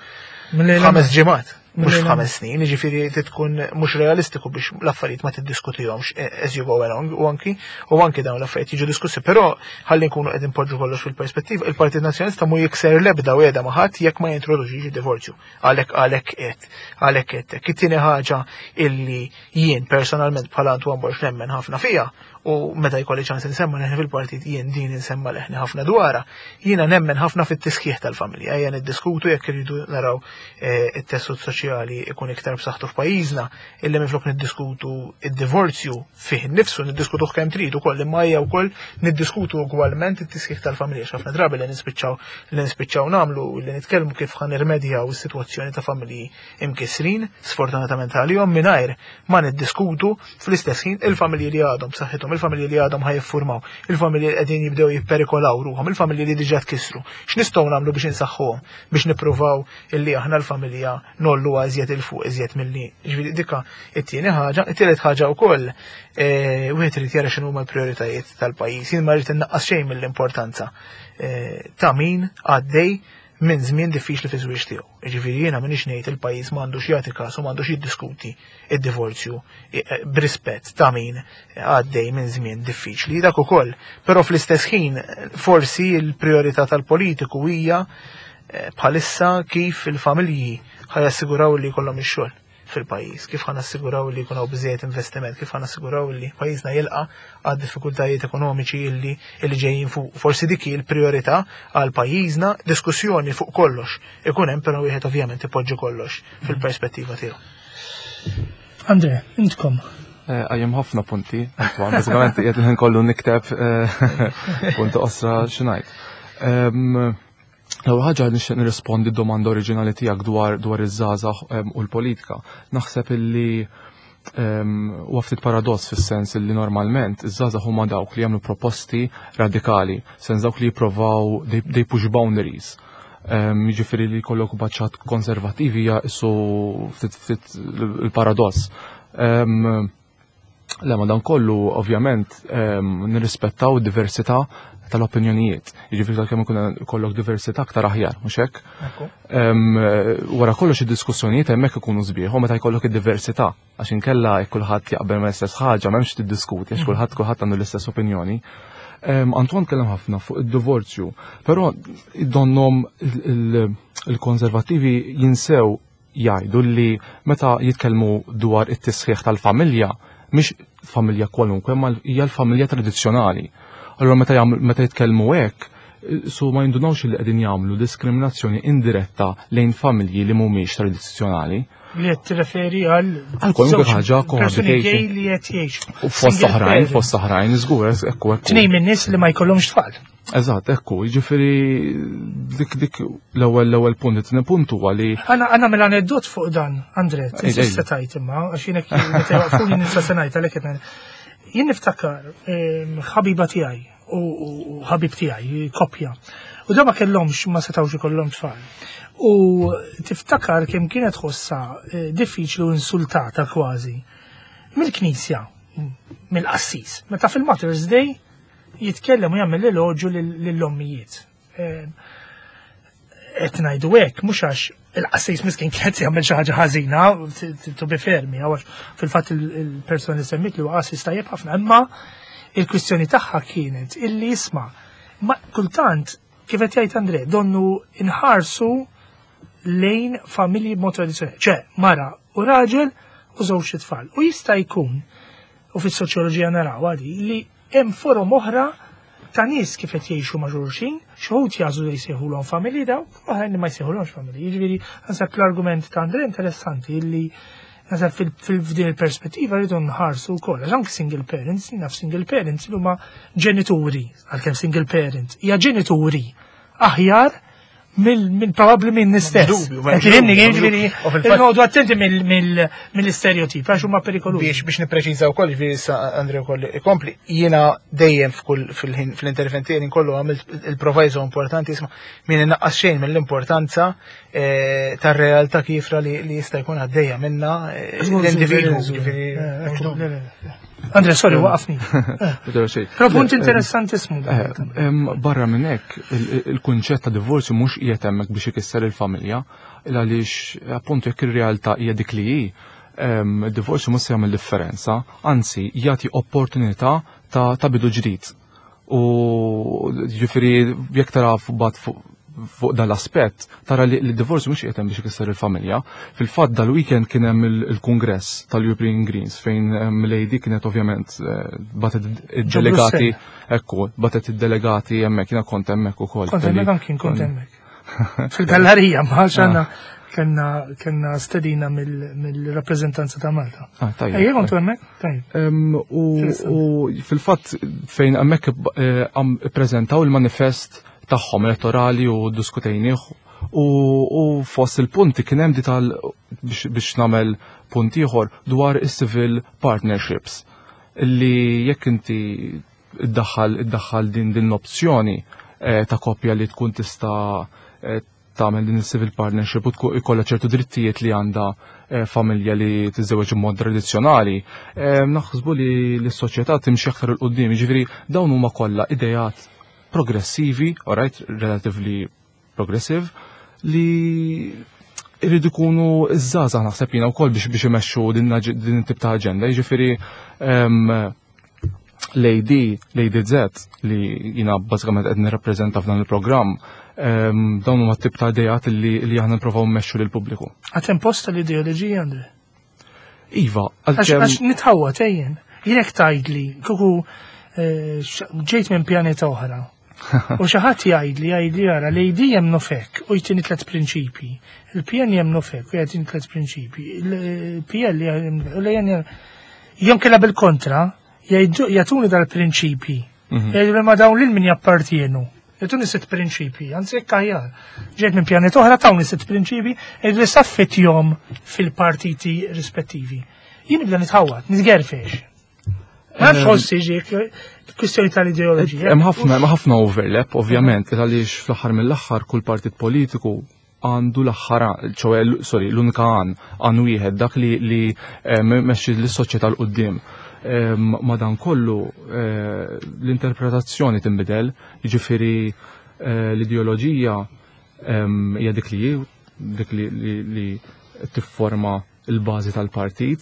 ħames ġimgħat, mhux f'ħames snin, jiġifieri tkun mhux realistiku biex l-affarijiet ma tiddiskutihomx as you go along, u anki u anki dawn l-affarijiet jiġu diskussi, però ħalli nkunu qegħdin poġġu kollox fil-perspettiva, il-Partit Nazzjonalista mu jikser l-ebda wegħda ma' ħadd jekk ma jintroduċix id-divorzju. Għalhekk għalhekk qed għalhekk qed. It-tieni ħaġa illi jien personalment bħala Antoine Borg nemmen ħafna fija, u meta jkolli ċans insemma leħni fil-partit jien din insemma leħni ħafna dwarha, jiena nemmen ħafna fit-tisħiħ tal-familja. Ejja niddiskutu jekk irridu naraw eh, it-tessut soċjali ikun iktar b'saħħtu f'pajjiżna, illi minflok niddiskutu id-divorzju fih innifsu, niddiskutuh kemm trid ukoll, imma hija wkoll niddiskutu ugwalment it-tisħiħ tal-familja. Ħafna drabi li nispiċċaw li nispiċċaw nagħmlu li nitkellmu kif ħa nirmedjaw is-sitwazzjoni ta' familji imkisrin, sfortunatament għalihom, mingħajr ma niddiskutu fl-istess ħin il-familji li għadhom b'saħħithom, il-familji li għadhom ħa jiffurmaw, il-familji li qegħdin jibdew jipperikolaw ruħhom, il-familji li diġà tkissru. X'nistgħu nagħmlu biex insaħħuhom, biex nippruvaw illi aħna l-familja ngħollu iżjed 'il fuq iżjed milli. Ġifieri dika it-tieni ħaġa, it-tielet ħaġa wkoll, eh, wieħed irid jara x'inhu huma l-prijoritajiet tal-pajjiż. Jien ma rrid innaqqas xejn mill-importanza eh, ta' min għaddej minn żmien diffiċli fi żwieġ tiegħu. Jiġifieri jiena m'iniex ngħid il-pajjiż m'għandux jagħti każ u m'għandux jiddiskuti id-divorzju eh, b'rispett ta' min għaddej minn żmien diffiċli. Dak ukoll, però fl-istess ħin forsi l-priorità tal-politiku hija eh, bħalissa kif il-familji ħa jassiguraw li jkollhom ix-xogħol fil-pajjiż, kif ħa nassiguraw li jkun hawn biżejjed investiment, kif ħa nassiguraw li pajjiżna jilqa' għad diffikultajiet ekonomiċi illi illi ġejjin fuq. Forsi dik hi l-priorità għal pajjiżna. Diskussjoni fuq kollox ikun hemm, però wieħed ovvjament ipoġġi kollox fil-perspettiva tiegħu. Andre, intkom. Eh, Għajem ħafna punti, Antoine, bażikament qiegħed il-ħin kollu nikteb eh, punti qosra x'ngħid. L-ewwel ħaġa, nixtieq nirrispondi d-domanda oriġinali tiegħek dwar dwar iż-żgħażagħ u l-politika. Naħseb illi huwa ftit paradoss, fis-sens illi normalment iż-żgħażagħ huma dawk li jagħmlu proposti radikali, sens dawk li jippruvaw they, they push boundaries. Jiġifieri li jkollok baċċat konservativi hija issu ftit ftit il-paradoss. Le, ma dan kollu ovvjament nirrispettaw diversità tal-opinjonijiet. Jiġifieri kemm ikun ikollok diversità aktar aħjar, mhux hekk? Wara kollox id-diskussjonijiet hemmhekk ikunu sbieħ u meta jkollok id-diversità, għax inkella jekk kulħadd jaqbel ma l-istess ħaġa m'hemmx tiddiskuti għax kulħadd kulħadd għandu l-istess opinjoni. Antoine kellem ħafna fuq id-divorzju, però donnhom il-konservattivi jinsew jgħidu li meta jitkellmu dwar it-tisħiħ tal-familja, mhix familja kwalunkwe, ma hija l-familja tradizzjonali. Allura meta meta jitkellmu hekk, su ma jindunawx li qegħdin jagħmlu diskriminazzjoni indiretta lejn familji li mhumiex tradizzjonali. Li qed tirreferi għal għal kwalunkwe ħaġa persuni gay li qed jgħixu. U fost oħrajn, fost oħrajn, żgur, ekku ekku. Tnejn min-nies li ma jkollhomx tfal. Eżatt, ekku, jiġifieri dik dik l-ewwel l-ewwel punt, it-tieni punt huwa li Għana għana mela aneddot fuq dan, Andre, tista' tajt imma, għax jiena meta jwaqfuni nista' se ngħid għalhekk qed Jien niftakar ħabiba tiegħi u ħabib tiegħi, koppja. U da ma kellhomx ma setgħux ikollhom tfal. U tiftakar kemm kienet ħossa diffiċli u insultata kważi mill-Knisja, mill-qassis. Meta fil-Mother's Day jitkellem u jagħmel elogju lill-ommijiet. Qed ngħidu hekk mhux għax il-qassis miskin kienet jagħmel xi ħaġa ħażina, to be fair mi, għax fil-fatt il-persuna li semmit li huwa qassis tajjeb ħafna, imma il-kwistjoni tagħha kienet illi jisma' ma kultant kif qed jgħid Andre, donnu inħarsu lejn familji b'mod tradizzjonali, ċe mara u raġel u żewġ tfal. U jista' jkun, u fis-soċjoloġija naraw għadi, li hemm forom oħra ta' nies kif qed jgħixu ma' xulxin, xi wħud jagħżlu li jsejħulhom familji daw, oħrajn li ma jsejħulhomx familji. Jiġifieri naħseb l-argument ta' Andre interessanti illi naħseb fil-f'din il-perspettiva rridu nħarsu wkoll. Għax anke single parents, naf single parents li huma ġenituri, għalkemm single parent, hija ġenituri aħjar mill probabbli minn istess. Dubju, m'hemmx Tifhimni, dubju, jiġifieri, u fil-fatt- noqogħdu attenti mill-istereotip, għax huma perikolużi. Biex biex nippreċiża wkoll, ġifieri issa Andre wkoll ikompli, jiena dejjem f'kull fil-ħin fl-intervent tiegħi kollu għamilt il-proviso importanti isma' min innaqqas xejn mill-importanza eh, tar-realtà kifra li li jista' jkun għaddejja minna eh, l-individwu. Ġifieri, mhux dubju. Andre, sorry, waqafni. Vera xejn. Però punt Le, interessantissimu. Eh, em, Barra minn hekk, il- il-kunċett ta' divorzju mhux qiegħed hemmhekk biex ikisser il-familja, il għaliex appuntu jekk ir-realtà hija dik li hi, em, id-divorzju mhux se jagħmel differenza, anzi jagħti opportunità ta' ta' bidu ġdid. U ġifieri jekk tara bat fuq fuq dal-aspett, tara li l-divorzju mhux qiegħed hemm biex ikisser il-familja. Fil-fatt dal-weekend kien hemm il- il-kongress tal-European Greens fejn em, l-A D kienet ovvjament eh, batet id-delegati, ekku, batet id-delegati hemmhekk, jiena kont hemmhekk ukoll. Kont kelli- hemmhekk anki kont hemmhekk. Fil-gallerija ma għax kellna kellna stedina mill-rappreżentanza ta' Malta. Ah, tajjeb. Ejja kontu hemmhekk? Tajjeb. Em, U u fil-fatt fejn hemmhekk eh, għam ippreżentaw il-manifest tagħhom elettorali u diskutejnieh u, u fost il-punti kien hemm di tal biex, biex nagħmel punt ieħor dwar is-civil partnerships li jekk inti iddaħħal iddaħħal din din l-opzjoni eh, ta' koppja li tkun tista' eh, tagħmel din is-civil partnership u tkun ikollha ċertu drittijiet li għandha eh, familja li tiżżewweġ b'mod tradizzjonali, eh, naħsbu li l-soċjetà timxi aktar 'il quddiem, jiġifieri dawn huma kollha idejat progressivi, alright, relatively progressive, li irridu jkunu iż-żgħażagħ naħseb jiena wkoll biex biex imexxu din din it-tip ta' aġenda. Jiġifieri em, l-A D, l-A D Z li jina bażikament qed nirrappreżenta f'dan il-programm, em, dawn huma tip ta' idejat li, li aħna nipprovaw mmexxu lill-pubbliku. Għad hemm post l-ideoloġija, Andre? Iva, Għax għalkemm għax nitħawwa tejjen. Jien tgħidli, kuku eh, x- ġejt minn pjaneta oħra. U xi ħadd jgħidli jgħidli ara l-A D jemmnu fek u jtini tliet prinċipji. Il-P N jemmnu fek u jgħidini tliet prinċipji. Il-P L jemmnu u l-A N jom kella bil-kontra jgħidu jagħtuni dal-prinċipji. Mhm. Jgħidu li ma dawn lil min jappartienu. Jagħtuni sitt prinċipji, anzi jekk aħjar. Ġejt minn pjaneta oħra tawni sitt prinċipji, jgħidu li saffetjom fil-partiti rispettivi. Jien nibda nitħawat, nitgerfex. Ma nafx ħossi ġiek, kwistjoni tal-ideoloġija. Hemm ħafna hemm ħafna overlap, ovvjament, għaliex fl-aħħar mill-aħħar kull partit politiku għandu l-aħħar, ċoè, sorry, l-unika għan, għan wieħed, dak li li eh, mexxi l-soċjetà 'l quddiem. Madankollu l-interpretazzjoni tinbidel, jiġifieri l-ideoloġija hija dik li dik li tifforma l-bażi tal-partit,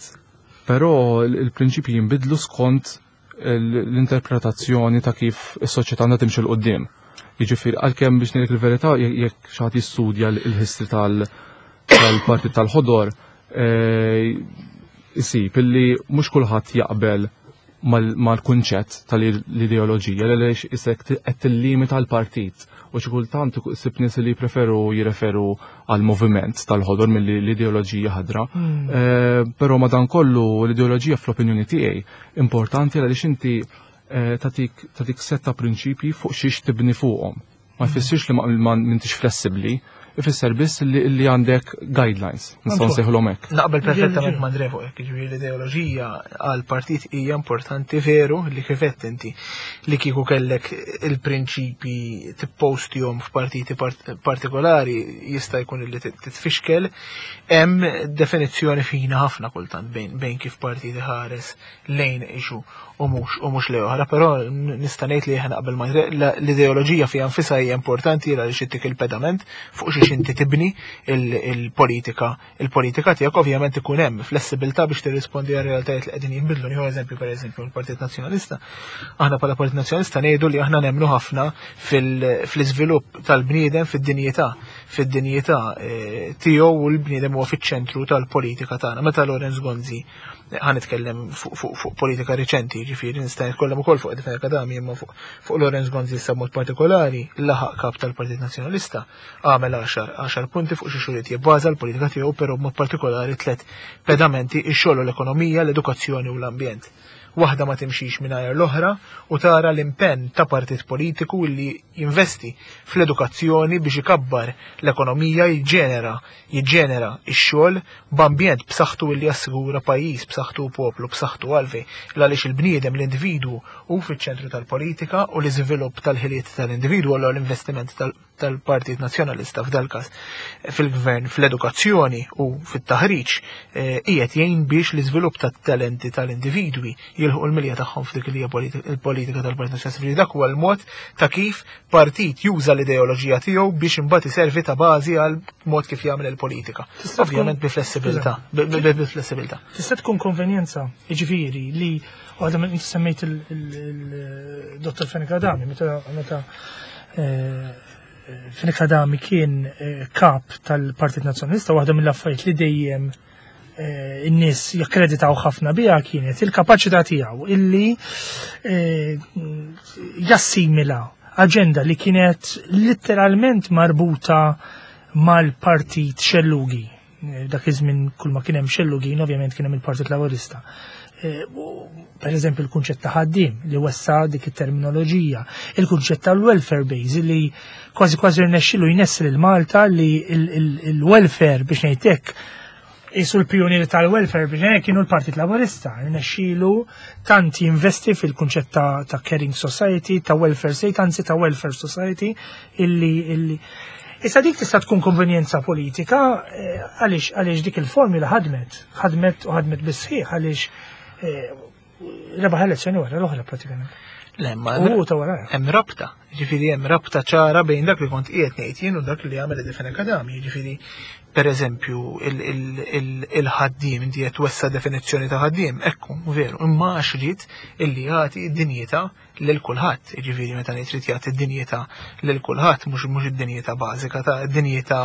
però l-prinċipji jinbidlu skont l-interpretazzjoni ta' kif is-soċjetà għandha timxi 'l quddiem. Jiġifieri għalkemm biex ngħidlek il-verità jekk xi ħadd jistudja l-history tal-Partit tal-Ħodor isib illi mhux kulħadd jaqbel mal-kunċett tal-ideoloġija għaliex isek qed tillimita l-partit u xi kultant issib nies li jpreferu jirreferu għal moviment tal-ħodor milli l-ideoloġija ħadra. Però madankollu l-ideoloġija fl-opinjoni tiegħi importanti għaliex inti tatik tatik setta prinċipji fuq xiex tibni fuqhom. Ma jfissirx li ma m'intix flessibbli, ifisser biss li għandek guidelines, nistgħu nsejħulhom hekk. Naqbel perfettament ma' Andre fuq hekk, jiġifieri l-ideoloġija għal partit hija importanti veru li kif għedt inti li kieku kellek il-prinċipi tippostihom f'partiti partikolari jista' jkun li titfixkel. Hemm definizzjoni fina ħafna kultant bejn kif partit iħares lejn issue u mhux u mhux lejn oħra, però nista' ngħid li aħna naqbel ma' l-ideoloġija fiha nfisha hija importanti għaliex ittik il-pedament fuq xiex inti tibni il-politika. Il-politika tiegħek ovvjament ikun hemm flessibilità biex tirrispondi għal realtajiet li qegħdin jinbidlu. Nieħu eżempju, pereżempju l-Partit Nazzjonalista. Aħna bħala Partit Nazzjonalista ngħidu li aħna nemmnu ħafna fil-iżvilupp tal-bniedem fid-dinjità, fid-dinjità tiegħu u l-bniedem huwa fiċ-ċentru tal-politika tagħna. Meta Lawrence Gonzi, ħa nitkellem fuq politika riċenti, ġifieri nista' nitkellem ukoll fuq Eddie Fenech Adami, imma fuq Lawrence Gonzi issa mod partikolari, laħaq kap tal-Partit Nazzjonalista, għamel għaxar punti fuq xi xuriet jibbaża l-politika tiegħu, però b'mod partikolari tliet pedamenti: ix-xogħol u l-ekonomija, l-edukazzjoni u l-ambjent. Waħda ma timxix mingħajr l-oħra u tara l-impenn ta' partit politiku li jinvesti fl-edukazzjoni biex ikabbar l-ekonomija, jiġġenera jiġġenera x-xogħol b'ambjent b'saħħtu li jassigura pajjiż b'saħħtu u poplu b'saħħtu. Għalfejn? Għaliex il-bniedem, l-individwu, hu fiċ-ċentru tal-politika u l-iżvilupp tal-ħiliet tal-individwu, allura l-investiment tal-Partit Nazzjonalista f'dal każ fil-gvern fl-edukazzjoni u fit-taħriġ qiegħed jgħin biex l-iżvilupp tat-talenti tal-individwi jilħu l-milja tagħhom f'dik li hija il-politika tal-Partit Nazzjonalista. Dak huwa l-mod ta' kif partit juża l-ideoloġija tiegħu biex imbagħad iservi ta' bażi għal mod kif jagħmel il-politika. Ovvjament bi flessibilità, bi flessibilità. Tista' tkun konvenjenza, jiġifieri li għadha inti semmejt il-Dottor Fenech Adami, meta meta Fenech Adami kien kap tal-Partit Nazzjonalista, waħda mill-affarijiet li dejjem in-nies jakkreditaw ħafna biha kienet il-kapaċità tiegħu illi jassimila aġenda li kienet letteralment marbuta mal-partit xellugi. Dak iż-żmien kull ma kien hemm xellugin ovvjament kien hemm il-Partit Laburista. Per eżempju il-kunċett ta' ħaddiem li wessa dik it-terminoloġija, il-kunċett tal-welfare base li kważi kważi rnexxilu jnessel il-Malta li il-welfare, biex ngħidlek, jisu l-pionieri tal-welfare biex ngħidlek kienu l-Partit Laburista, rnexxilu tant jinvesti fil-kunċett ta' caring society, ta' welfare state, anzi ta' welfare society, illi illi Issa dik tista' tkun konvenjenza politika għaliex għaliex dik il-formula ħadmet, ħadmet u ħadmet bis-sħiħ għaliex rebaħ elezzjoni wara l-oħra pratikament. Le, ma U ta' wara. Hemm rabta, ġifieri hemm rabta ċara bejn dak li kont qiegħed ngħid jien u dak li għamel Eddie Fenech Adami, jiġifieri per eżempju il-ħaddiem, inti qed twessa definizzjoni ta' ħaddiem, ekku, veru, imma għax ried illi jagħti dinjità lil kulħadd, jiġifieri meta ngħid trid jagħti dinjità lil kulħadd, mhux mhux id-dinjità bażika ta' dinjità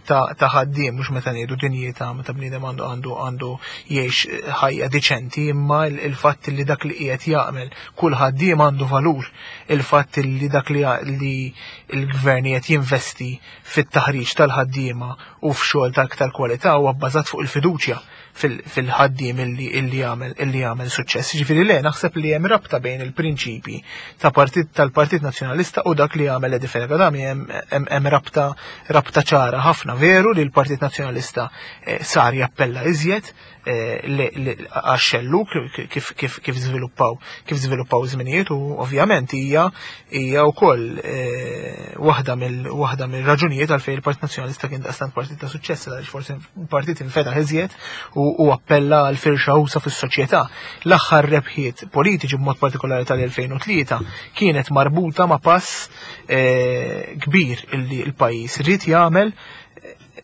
ta' ħaddiem, mhux meta ngħidu dinjità meta bniedem għandu għandu għandu jgħix ħajja diċenti, imma il-fatt li dak li qiegħed jagħmel kull ħaddiem għandu valur, il-fatt li dak li l-gvern qed jinvesti fit-taħriġ tal-ħaddiema u f'xogħol ta' aktar kwalità huwa bbażat fuq il-fiduċja fil-ħaddiem illi illi jagħmel illi jagħmel suċċess. Ġifieri le, naħseb li hemm rabta bejn il-prinċipi ta' partit tal-Partit Nazzjonalista u dak li jagħmel Eddie Fenech Adami, hemm rabta rabta ċara ħafna. Veru li l-Partit Nazzjonalista eh, sar jappella iżjed eh, għax-xellug kif kif kif żviluppaw kif żviluppaw żminijiet u ovvjament hija hija wkoll wkoll eh, waħda mill waħda mill-raġunijiet għalfejn il-Partit Nazzjonalista kien daqstant partit ta' suċċess, għaliex forsi partit infetaħ iżjed u, u appella għal firxa usa' fis-soċjetà. L-aħħar rebħiet politiċi, b'mod partikolari tal-elfejn u tlieta, kienet marbuta ma' pass eh, kbir illi l-pajjiż ried jagħmel,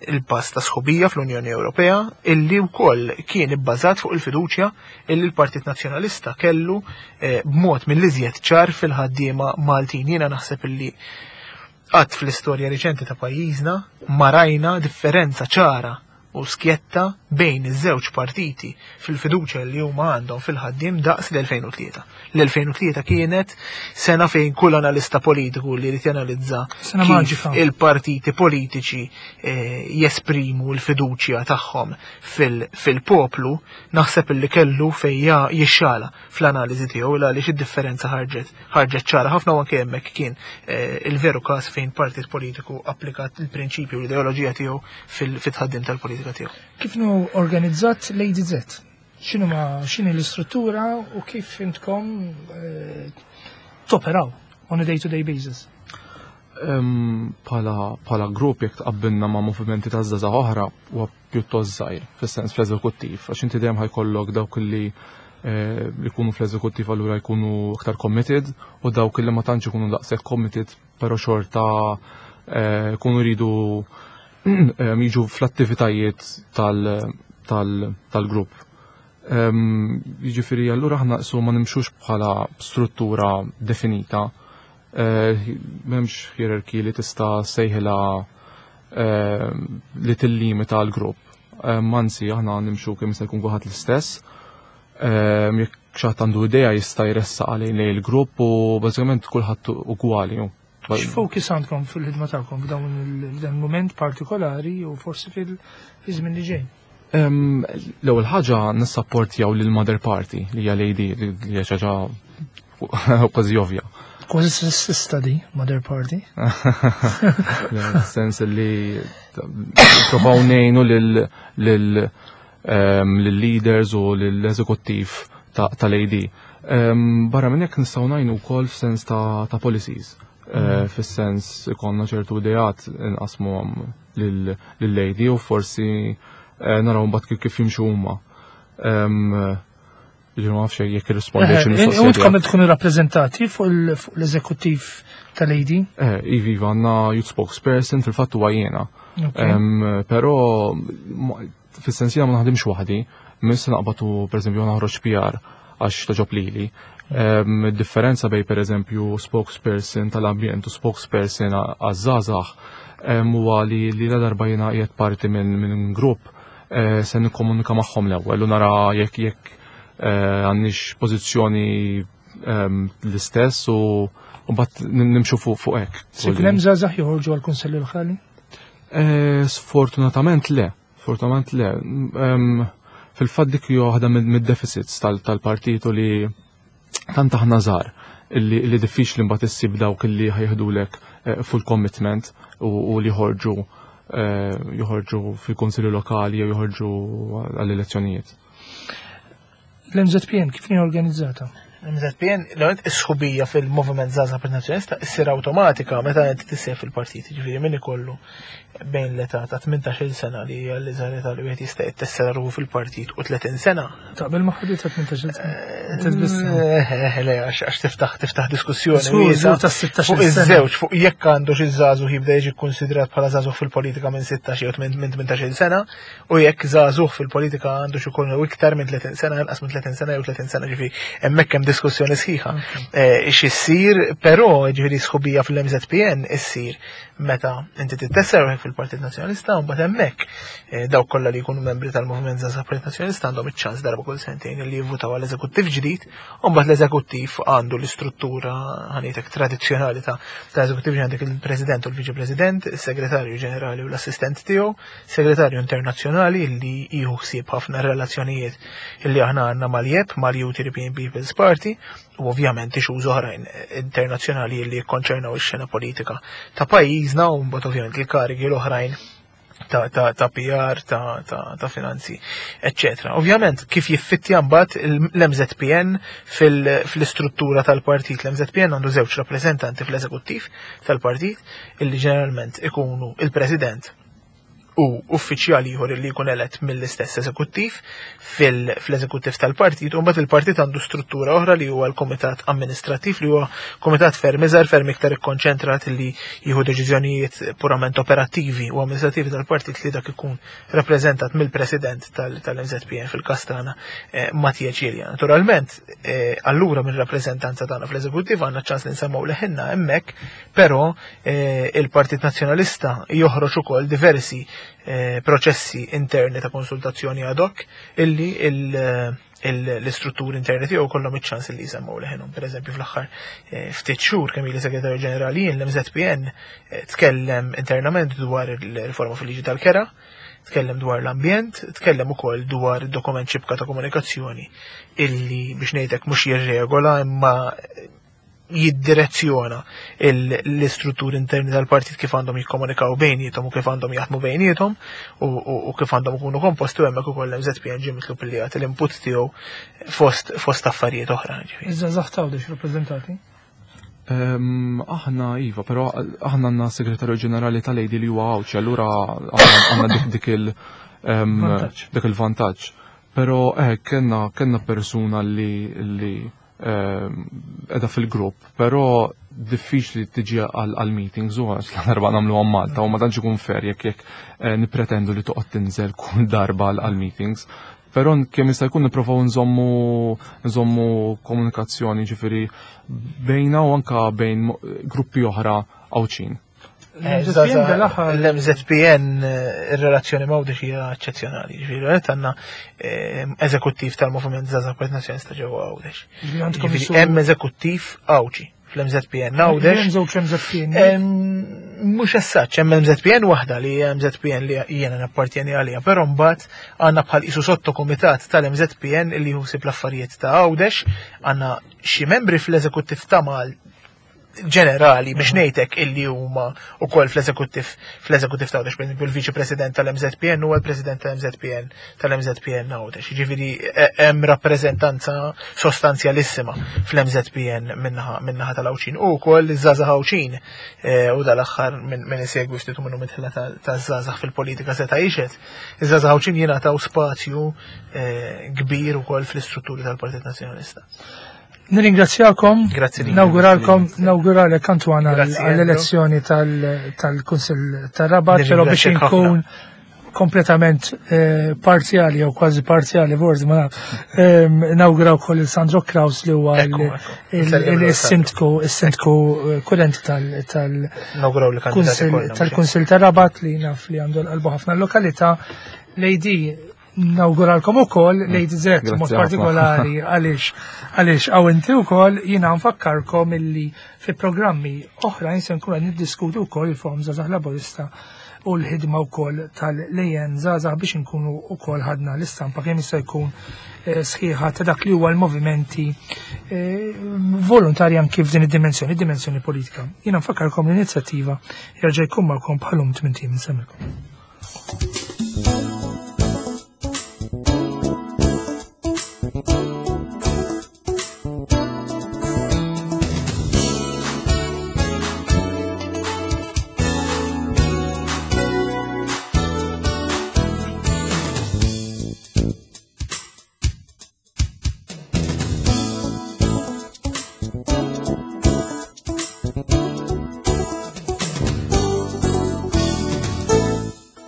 il-pass ta' sħubija fl-Unjoni Ewropea, illi wkoll kien ibbażat fuq il-fiduċja illi l-Partit Nazzjonalista kellu eh, b'mod mill-iżjed ċar fil-ħaddiema Maltin. Jiena naħseb illi qatt fl-istorja riċenti ta' pajjiżna ma rajna differenza ċara u skjetta bejn iż-żewġ partiti fil-fiduċja li huma għandhom fil-ħaddiem daqs l-elfejn u tlieta. L-elfejn u tlieta kienet sena fejn kull analista politiku li jrid janalizza Sena kif maġika. il-partiti politiċi eh, jesprimu l-fiduċja tagħhom fil- fil-poplu, naħseb illi kellu fejn jixxala fl-analiżi tiegħu, il għaliex id-differenza ħarġet ħarġet ċara ħafna u anke hemmhekk kien eh, il-veru każ fejn partit politiku applikat il-prinċipju u l-ideoloġija tiegħu fil- fit-tħaddim tal-politika tiegħu. Kif inhu organizzat l-A D Z? X'inhu ma x'inhi l-istruttura u kif intkom eh, toperaw on a day-to-day basis? Em, Pala, pala grupp, jekk tqabbilna ma' movimenti ta' żgħażagħ oħra, huwa pjuttost żgħir fis-sens fl-eżekuttiv, għax inti dejjem ħa jkollok dawk li eh, li jkunu fl-eżekuttiv, allura jkunu aktar committed, u dawk li ma tantx ikunu daqshekk committed, però xorta eh, jkunu jridu em, jiġu fl-attivitajiet tal- tal- tal-grupp. Em, Jiġifieri allura aħna qisu ma nimxux bħala struttura definita. Eh, M'hemmx hierarchy li tista' sejħilha eh, li tillimita l-grupp. Eh, Anzi, aħna nimxu kemm jista' jkun kulħadd l-istess. Eh, Jekk xi ħadd għandu idea, jista' jressaq għalih lejn il-grupp u bażikament kulħadd ugwali. X'focus għandkom fil-ħidma tagħkom f'dawn il- f'dan il-moment partikolari u forsi fil-żmien li ġej? Em, L-ewwel ħaġa, nissapportjaw lil Mother Party li hija l-A D, li hija xi ħaġa kważi ovvja. Kważi sessista di, Mother Party. Sens li provaw ngħinu lil lil em, lil-leaders u lill-eżekuttiv tal-A D. Em, Barra minn hekk, nistgħu ngħinu wkoll f'sens ta' ta' policies. Eh, Fis-sens ikollna ċertu ideat, nqasmuhom lill-A D u forsi eh, naraw mbagħad kif kif jimxu huma. Em, Ġifieri ma nafx jekk irrispondejx U il-mistoqsija intkom tiegħek. tkunu rappreżentati fuq il- fuq l-eżekuttiv tal-A D? Eh, Iva, iva, għandna youth spokesperson, fil-fatt huwa jiena. Ok. Em, Però ma- fis-sens jiena ma naħdimx waħdi, minn se naqbatu, pereżempju, naħroġ P R għax togħġob lili. Em, Differenza bejn, pereżempju, spokesperson tal-ambjent u spokesperson għaż-żgħażagħ em, huwa li li la darba jiena qiegħed parti minn minn grupp, eh, se nikkomunika magħhom l-ewwel u nara jekk jekk eh, għandniex pożizzjoni em, l-istess u u mbagħad nimxu fuq fuq hekk. Se jkun hemm żgħażagħ joħorġu għall-Kunsilli Lokali? Eh, Sfortunatament le, sfortunatament le. Em, Fil-fatt dik hija waħda mid- mid-deficits tal- tal-partitu li tant aħna żgħar illi li diffiċli mbagħad issib dawk illi ħa jeħdulek eh, full commitment u, u li joħorġu eh, joħorġu fil-konsilju lokali jew joħorġu għall-elezzjonijiet. L-M Z P N kif inhi organizzata? M Z P N, l-għonet, is-sħubija fil-Moviment Żgħażagħ Partit Nazzjonalista issir automatika meta inti tissieħeb fil-partit, ġifieri min ikollu bejn l-età ta' tmintax-il sena, li hija l-iżgħar età li wieħed jista' jittessera ruħu fil-partit, u tletin sena. Taqbel ma' ħadd ta' tmintax-il sena? Inti biss. Eh, eh, le, għax għax tiftaħ tiftaħ diskussjoni Żgur, wiesgħa żgur ta' sittax-il fuq sena. iż-żewġ, fuq jekk għandu xi żagħżugħ jibda jiġi kkonsidrat bħala żagħżugħ fil-politika minn sittax jew minn tmintax-il sena u jekk żagħżugħ fil-politika għandu xi jkun iktar minn tletin sena, inqas minn tletin sena jew tletin sena, ġifieri hemmhekk hemm diskussjoni sħiħa. Eh, X'issir, però, ġifieri sħubija fil-M Z P N issir meta inti tittessera ruħek fil-Partit Nazzjonalista, u mbagħad hemmhekk eh, dawk kollha li jkunu membri tal-Moviment Żgħażagħ Partit Nazzjonalista għandhom iċ-ċans darba kull sentejn li jivvutaw għall eżekuttiv ġdid, u mbagħad l-eżekuttiv għandu l-istruttura, ħa ngħidlek, tradizzjonali ta' ta' eżekuttiv: għandek il-President u l-Viċi President, il-Segretarju Ġenerali u l-Assistent tiegħu, Segretarju Internazzjonali li jieħu ħsieb ħafna relazzjonijiet illi aħna għandna mal-J E P, mal-Youth European People's Party, u ovvjament issues oħrajn internazzjonali li jikkonċernaw ix-xena politika ta' pajjiżna, u mbagħad ovvjament il-karigi l-oħrajn ta', ta, ta P R, ta', ta, ta' finanzi, eccetera. Ovvjament, kif jiffittja mbagħad l-M Z P N fil-istruttura tal-partit. L-M Z P N għandu żewġ rappreżentanti fl-eżekuttiv tal-partit, illi ġeneralment ikunu il-president u uffiċjali ieħor li jkun elett mill-istess eżekuttiv fil-eżekuttiv tal-partit, u mbagħad il-partit għandu struttura oħra li huwa l-komitat amministrattiv, li huwa komitat ferm iżgħar, ferm iktar ikkonċentrat, li jieħu deċiżjonijiet purament operattivi u amministrativi tal-partit, li dak ikun rappreżentat mill-president tal-M Z P N, fil-każ tagħna eh, Mattia Cilia. Naturalment, eh, allura minn rappreżentanza tagħna fl-eżekuttiv għandna ċans li nsemmaw leħinna hemmhekk, però eh, il-Partit Nazzjonalista joħroġ ukoll diversi Eh, proċessi interni ta' konsultazzjoni ad hoc illi l-istrutturi interni tiegħu kollhom iċ-ċans li jsemmaw leħenhom. Per eżempju, fl-aħħar eh, ftit xhur kemm ili segretarju ġenerali jien, l-M Z P N eh, tkellem internament dwar il-riforma fil-liġi tal-kera, tkellem dwar l-ambjent, tkellem ukoll dwar dokument xibka ta' komunikazzjoni illi, biex ngħidlek, mhux jirregola imma jiddirezzjona l-istrutturi interni tal-partit, kif għandhom jikkomunikaw bejniethom u kif għandhom jaħdmu bejniethom u kif għandhom ikunu komposti, u hemmhekk ukoll M Z P N ġie mitlub li jagħti l-input tiegħu fost fost affarijiet oħra. Iż-żgħażagħ t'Għawdex rappreżentati? Aħna iva, però aħna għandna segretarju ġenerali tal-A D li huwa Għawdxi, allura għandna dik dik il dik il-vantaġġ. Però eh kellna kellna persuna li li edha fil-grupp, però diffiċli tiġi għal-meetings u għax l-darba nagħmlu għam Malta u ma tantx ikun fair jekk jekk eh, nipretendu li toqgħod tinżel kull darba għal-meetings. Però kemm jista' jkun nipprovaw nżommu nżommu komunikazzjoni, ġifieri, bejna u anka bejn gruppi oħra Għawdxin. L-M Z P N, il-relazzjoni ma' Għawdex hija eċċezzjonali. Ġifieri għandna eh, eżekuttiv tal-Moviment Żgħażagħ Partit Nazzjonalista ġewwa Għawdex. Hemm eżekuttiv Għawdxi fl-M Z P N Għawdex. Hemm żewġ M Z P N. Mhux essaċ, hemm M Z P N waħda li hija M Z P N li jiena nappartjeni għaliha, però mbagħad għandna bħal qisu sottokumitat tal-M Z P N li ħsieb l-affarijiet ta' Għawdex, għandna xi membri fl-eżekuttiv ta' Mal ġenerali, biex ngħidlek, illi huma wkoll fl-eżekuttiv fl-eżekuttiv ta' Għawdex, per il-viċi president tal-M Z P N huwa l-president tal-M Z P N tal-M Z P N Għawdex. Jiġifieri e, hemm rappreżentanza sostanzjalissima fl-M Z P N minnaħa tal-Għawdxin u wkoll iż-żgħażagħ Għawdxin e, u dal-aħħar minn isegwi ftit minnu midħla taż-żgħażagħ fil-politika seta' jixhed. Iż-żgħażagħ Għawdxin jingħataw spazju e, kbir ukoll fl-istrutturi tal-Partit Nazzjonalista. Nirringrazzjakom. Grazzi. Nawguralkom, nawguralek, Antoine, għall-elezzjoni tal-Kunsill tar-Rabat, però biex inkun kompletament eh, parzjali jew kważi parzjali forsi ma naf. Nawguraw ukoll il Sandro Kraus li huwa il-sindku il-sindku eh, kurrenti tal-Kunsill tar-Rabat, li naf li għandu l-qalbu ħafna l-lokalità. L-A D nawguralkom ukoll, Lady Z mod partikolari għaliex għaliex għaw inti wkoll. Jiena nfakkarkom illi fi programmi oħra se nkunu qed niddiskutu wkoll il-Forum Żgħażagħ Laburista u l-ħidma wkoll tal-L A N Żgħażagħ, biex inkunu wkoll ħadna l-istampa kemm jista' jkun eh, sħiħa ta' dak li huwa l-movimenti eh, volontarji anki f'din id-dimensjoni, id-dimensjoni politika. Jiena nfakkarkom l-inizjattiva jerġa' jkun magħkom bħalum tmien ijiem. Insellmilkom.